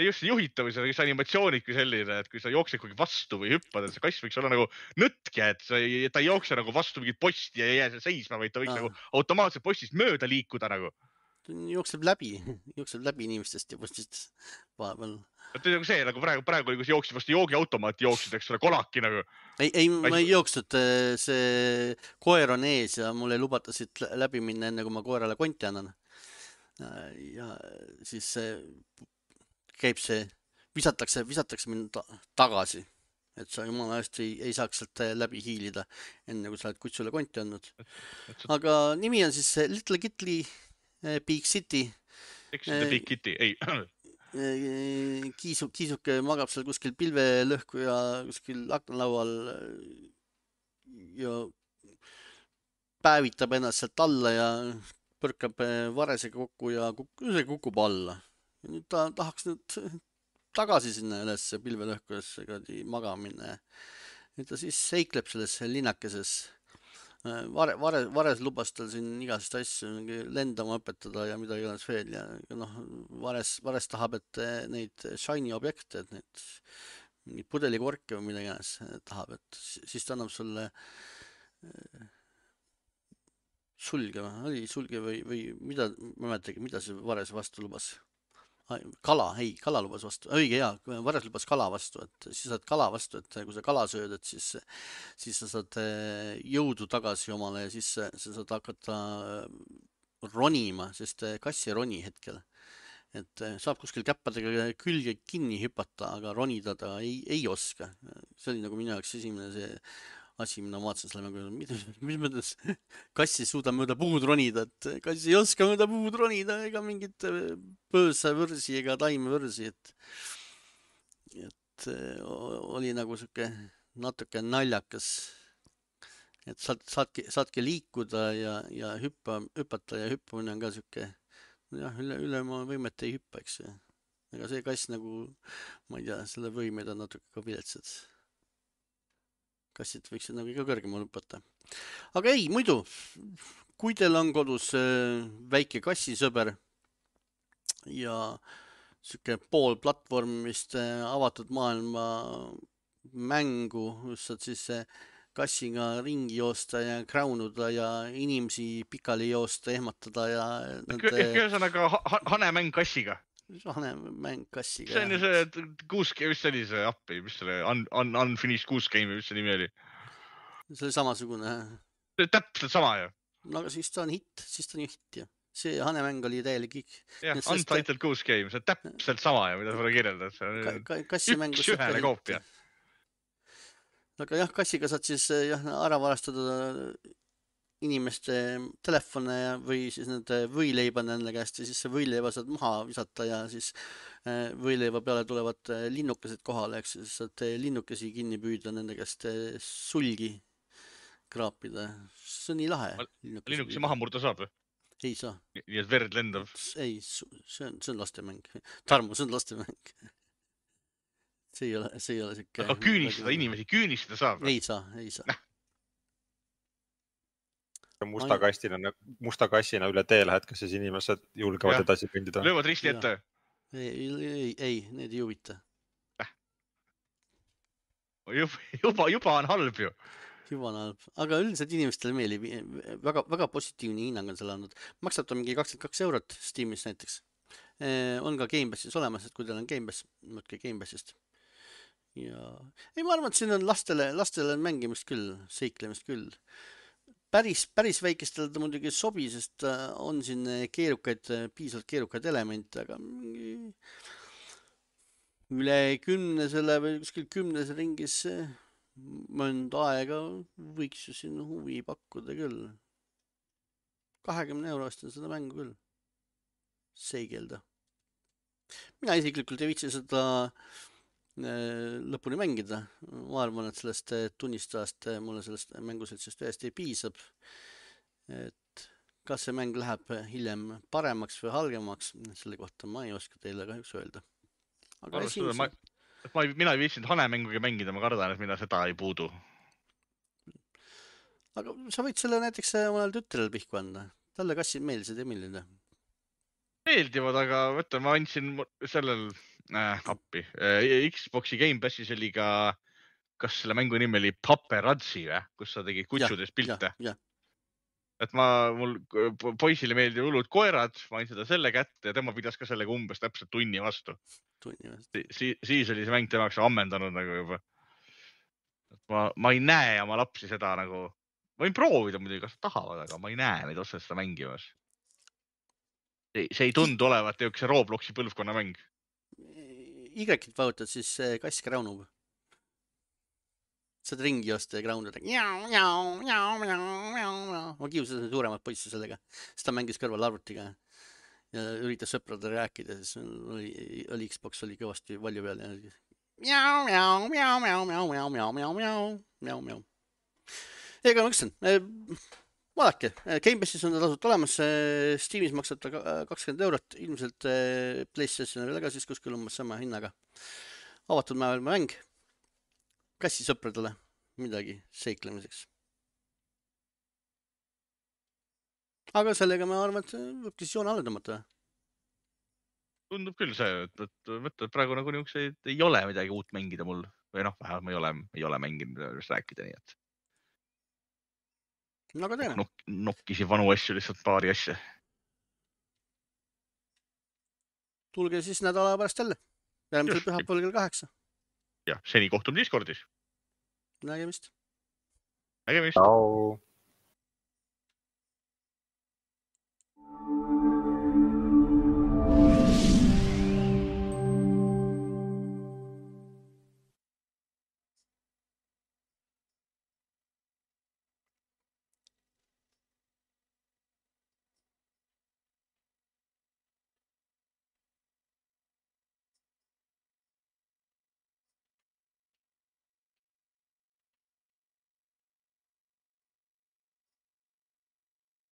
Just juhitavus, see animatsioonid kui selline, et kui sa jooksed kuigi vastu või hüppad, et see kass võiks olla nagu nõtke, et sa ei, ta ei jookse nagu vastu mingit posti ja ei jää seisma, vaid ta võiks ah. nagu automaatselt postist mööda liikuda nagu. Jookseb läbi, jookseb läbi inimestest ja postist vahepeal. Et nagu see, nagu praegu, praegu oli, kui sa jooksid vastu joogiautomaati, jooksid, eks ole, kolaki nagu. Ei, ei ma ei jooksnud, see koer on ees ja mulle ei lubata siit läbi minna enne, kui ma koerale konti annan. Ja siis käib see, visatakse, visatakse mind tagasi, et sa jumala eest ei, ei saaks sealt läbi hiilida, enne kui sa oled kutsule konti andnud. Aga nimi on siis Little Kitty Big City. Eks see Big Kitty, ei. Kiisu, kiisuke magab seal kuskil pilvelõhku ja kuskil aknalaual ja päevitab ennast sealt alla ja põrkab varesega kokku ja kuk, kukub alla. Ja nüüd ta tahaks nüüd tagasi sinna üles pilvelõhkudesse magamine. Ja ta siis seikleb selles linnakeses. Vare, vare, vares lubas tal siin igast asju lendama õpetada ja mida iganes veel ja noh, vares, vares tahab, et neid shiny objekte, et neid mingid pudelikorke või mida iganes tahab, et siis ta annab sulle sulge, oli sulge või, või mida, ma mäletagi, mida see vares vastu lubas. Kala, ei, kala lubas vastu, õige hea, vares lubas kala vastu, et siis saad kala vastu, et kui sa kala sööd, et siis, siis sa saad jõudu tagasi omale ja siis sa saad hakata ronima, sest kass ei roni hetkel. Et saab kuskil käppadega külge kinni hüpata, aga ronida ta ei, ei oska. See oli nagu minu jaoks esimene see asi, mina vaatasin selle mängu, mis mõttes kass ei suuda mööda puud ronida, et kass ei oska mööda puud ronida ega mingit pöösa võrsi ega taime võrsi, et, et oli nagu siuke natuke naljakas, et saad, saadki, saadki liikuda ja, ja hüppa, hüpata ja hüppamine on ka siuke, jah, üle, üle oma võimet ei hüppa, eks. Ega see kass nagu, ma ei tea, selle võimed on natuke ka viletsad. Kassid võiksid nagu ikka kõrgemal hüpata. Aga ei, muidu, kui teil on kodus väike kassisõber ja siuke pool platvormist avatud maailma mängu, kus saad siis kassiga ringi joosta ja kraunuda ja inimesi pikali joosta, ehmatada ja nende... Ühesõnaga hanemäng kassiga. Hanemäng kassiga. See on ju see kuus, mis see oli see appi, mis selle un, un, Unfinished Goose Game, mis see nimi oli? See oli samasugune. See oli täpselt sama ju. No aga siis ta on hit, siis ta on ju hit ju. See hanemäng oli täielik kõik. Jah, Untitled Goose Game, see on täpselt sama ju, mida sulle kirjeldad. See on ka, kassimängus üks ühele koopia. Aga jah, kassiga saad siis jah, ära varastada inimeste telefone või siis nende võileiba nende käest ja siis see võileiba saad maha visata ja siis võileiva peale tulevad linnukesed kohale, eks siis saad linnukesi kinni püüda nende käest sulgi kraapida. See on nii lahe. Linnukesi maha murda saab või? Ei saa. Nii et verd lendab? Ei, see on, see on lastemäng. Tarmo, see on lastemäng. See ei ole, see ei ole siuke... Aga küünistada inimesi, küünistada saab või? Ei saa, ei saa. Musta kastina, musta kassina üle tee lähed, kas siis inimesed julgevad edasi kõndida? Löövad risti ette? Ei, ei, ei, need ei huvita. juba, juba, juba on halb ju. Juba on halb, aga üldiselt inimestele meeldib, väga, väga positiivne hinnang on selle andnud. Maksab ta mingi kakskümmend kaks eurot Steamis näiteks. On ka Gamepassis olemas, et kui teil on Gamepass, mõtke Gamepassist. Ja ei, ma arvan, et siin on lastele, lastele mängimist küll, seiklemist küll. Päris, päris väikestel ta muidugi ei sobi, sest on siin keerukaid, piisavalt keerukaid elemente, aga üle kümnesele või kuskil kümnese ringis mõnda aega võiks ju siin huvi pakkuda küll. kahekümne euro eest on seda mängu küll. Seigelda. Mina isiklikult ei viitsi seda lõpuni mängida. Ma arvan, et sellest tunnistajast mulle sellest mänguseltsist ühest ei piisab. Et kas see mäng läheb hiljem paremaks või halgemaks, selle kohta ma ei oska teile kahjuks öelda. Aga esimese... ma, ma ei, mina ei viitsinud hanemängugi mängida, ma kardan, et mina seda ei puudu. Aga sa võid selle näiteks mõnel tütrel pihku anda. Talle kassid meeldisid ja millide? Meeldivad, aga võtta, ma andsin sellel äh, appi. Xboxi Gamepassis oli ka, kas selle mängu nimi oli Paparazzi, või? Kus sa tegid kutsudes pilte. Ja, ja. Et ma, mul poisile meeldib hullud koerad, ma andsin seda selle kätte ja tema pidas ka sellega umbes täpselt tunni vastu. Tunni vastu. Si siis oli see mäng temaks ammendanud nagu juba. Ma, ma ei näe oma lapsi seda nagu, ma võin proovida muidugi, kas tahavad, aga ma ei näe neid otseselt seda mängimas. See, see ei tundu olevat üks Robloxi põlvkonna mäng. Y-kit vajutad, siis kass kraunub. Saad ringi osta ja kraunada. Ma kiusasin suuremat poissi sellega. Siis ta mängis kõrval arvutiga ja üritas sõprade rääkida. Siis oli, oli Xbox oli kõvasti valju peal. Miau, miau, miau, miau, miau, miau, miau, miau, miau, miau, miau. Ega ma ütlesin, vaadake, Gamepassis on ta tasult olemas. Steamis maksab ta kakskümmend eurot. Ilmselt PlayStation veel ka siis kuskil umbes sama hinnaga. Avatud maailma mäng. Kassi sõpradele midagi seiklemiseks. Aga sellega ma arvan, et võibki siis joone alla tõmmata. Tundub küll see, et, et, et, et praegu nagu niisuguse ei ole midagi uut mängida mul. Või noh, vähemalt ma ei ole, ei ole mänginud rääkida nii, et... Aga teine. Nok nokkisi vanu asju, lihtsalt paari asja. Tulge siis nädala pärast jälle. Järgmisel pühapäeval kell kaheksa. Ja, seni kohtume Discordis. Nägemist. Nägemist. Ciao.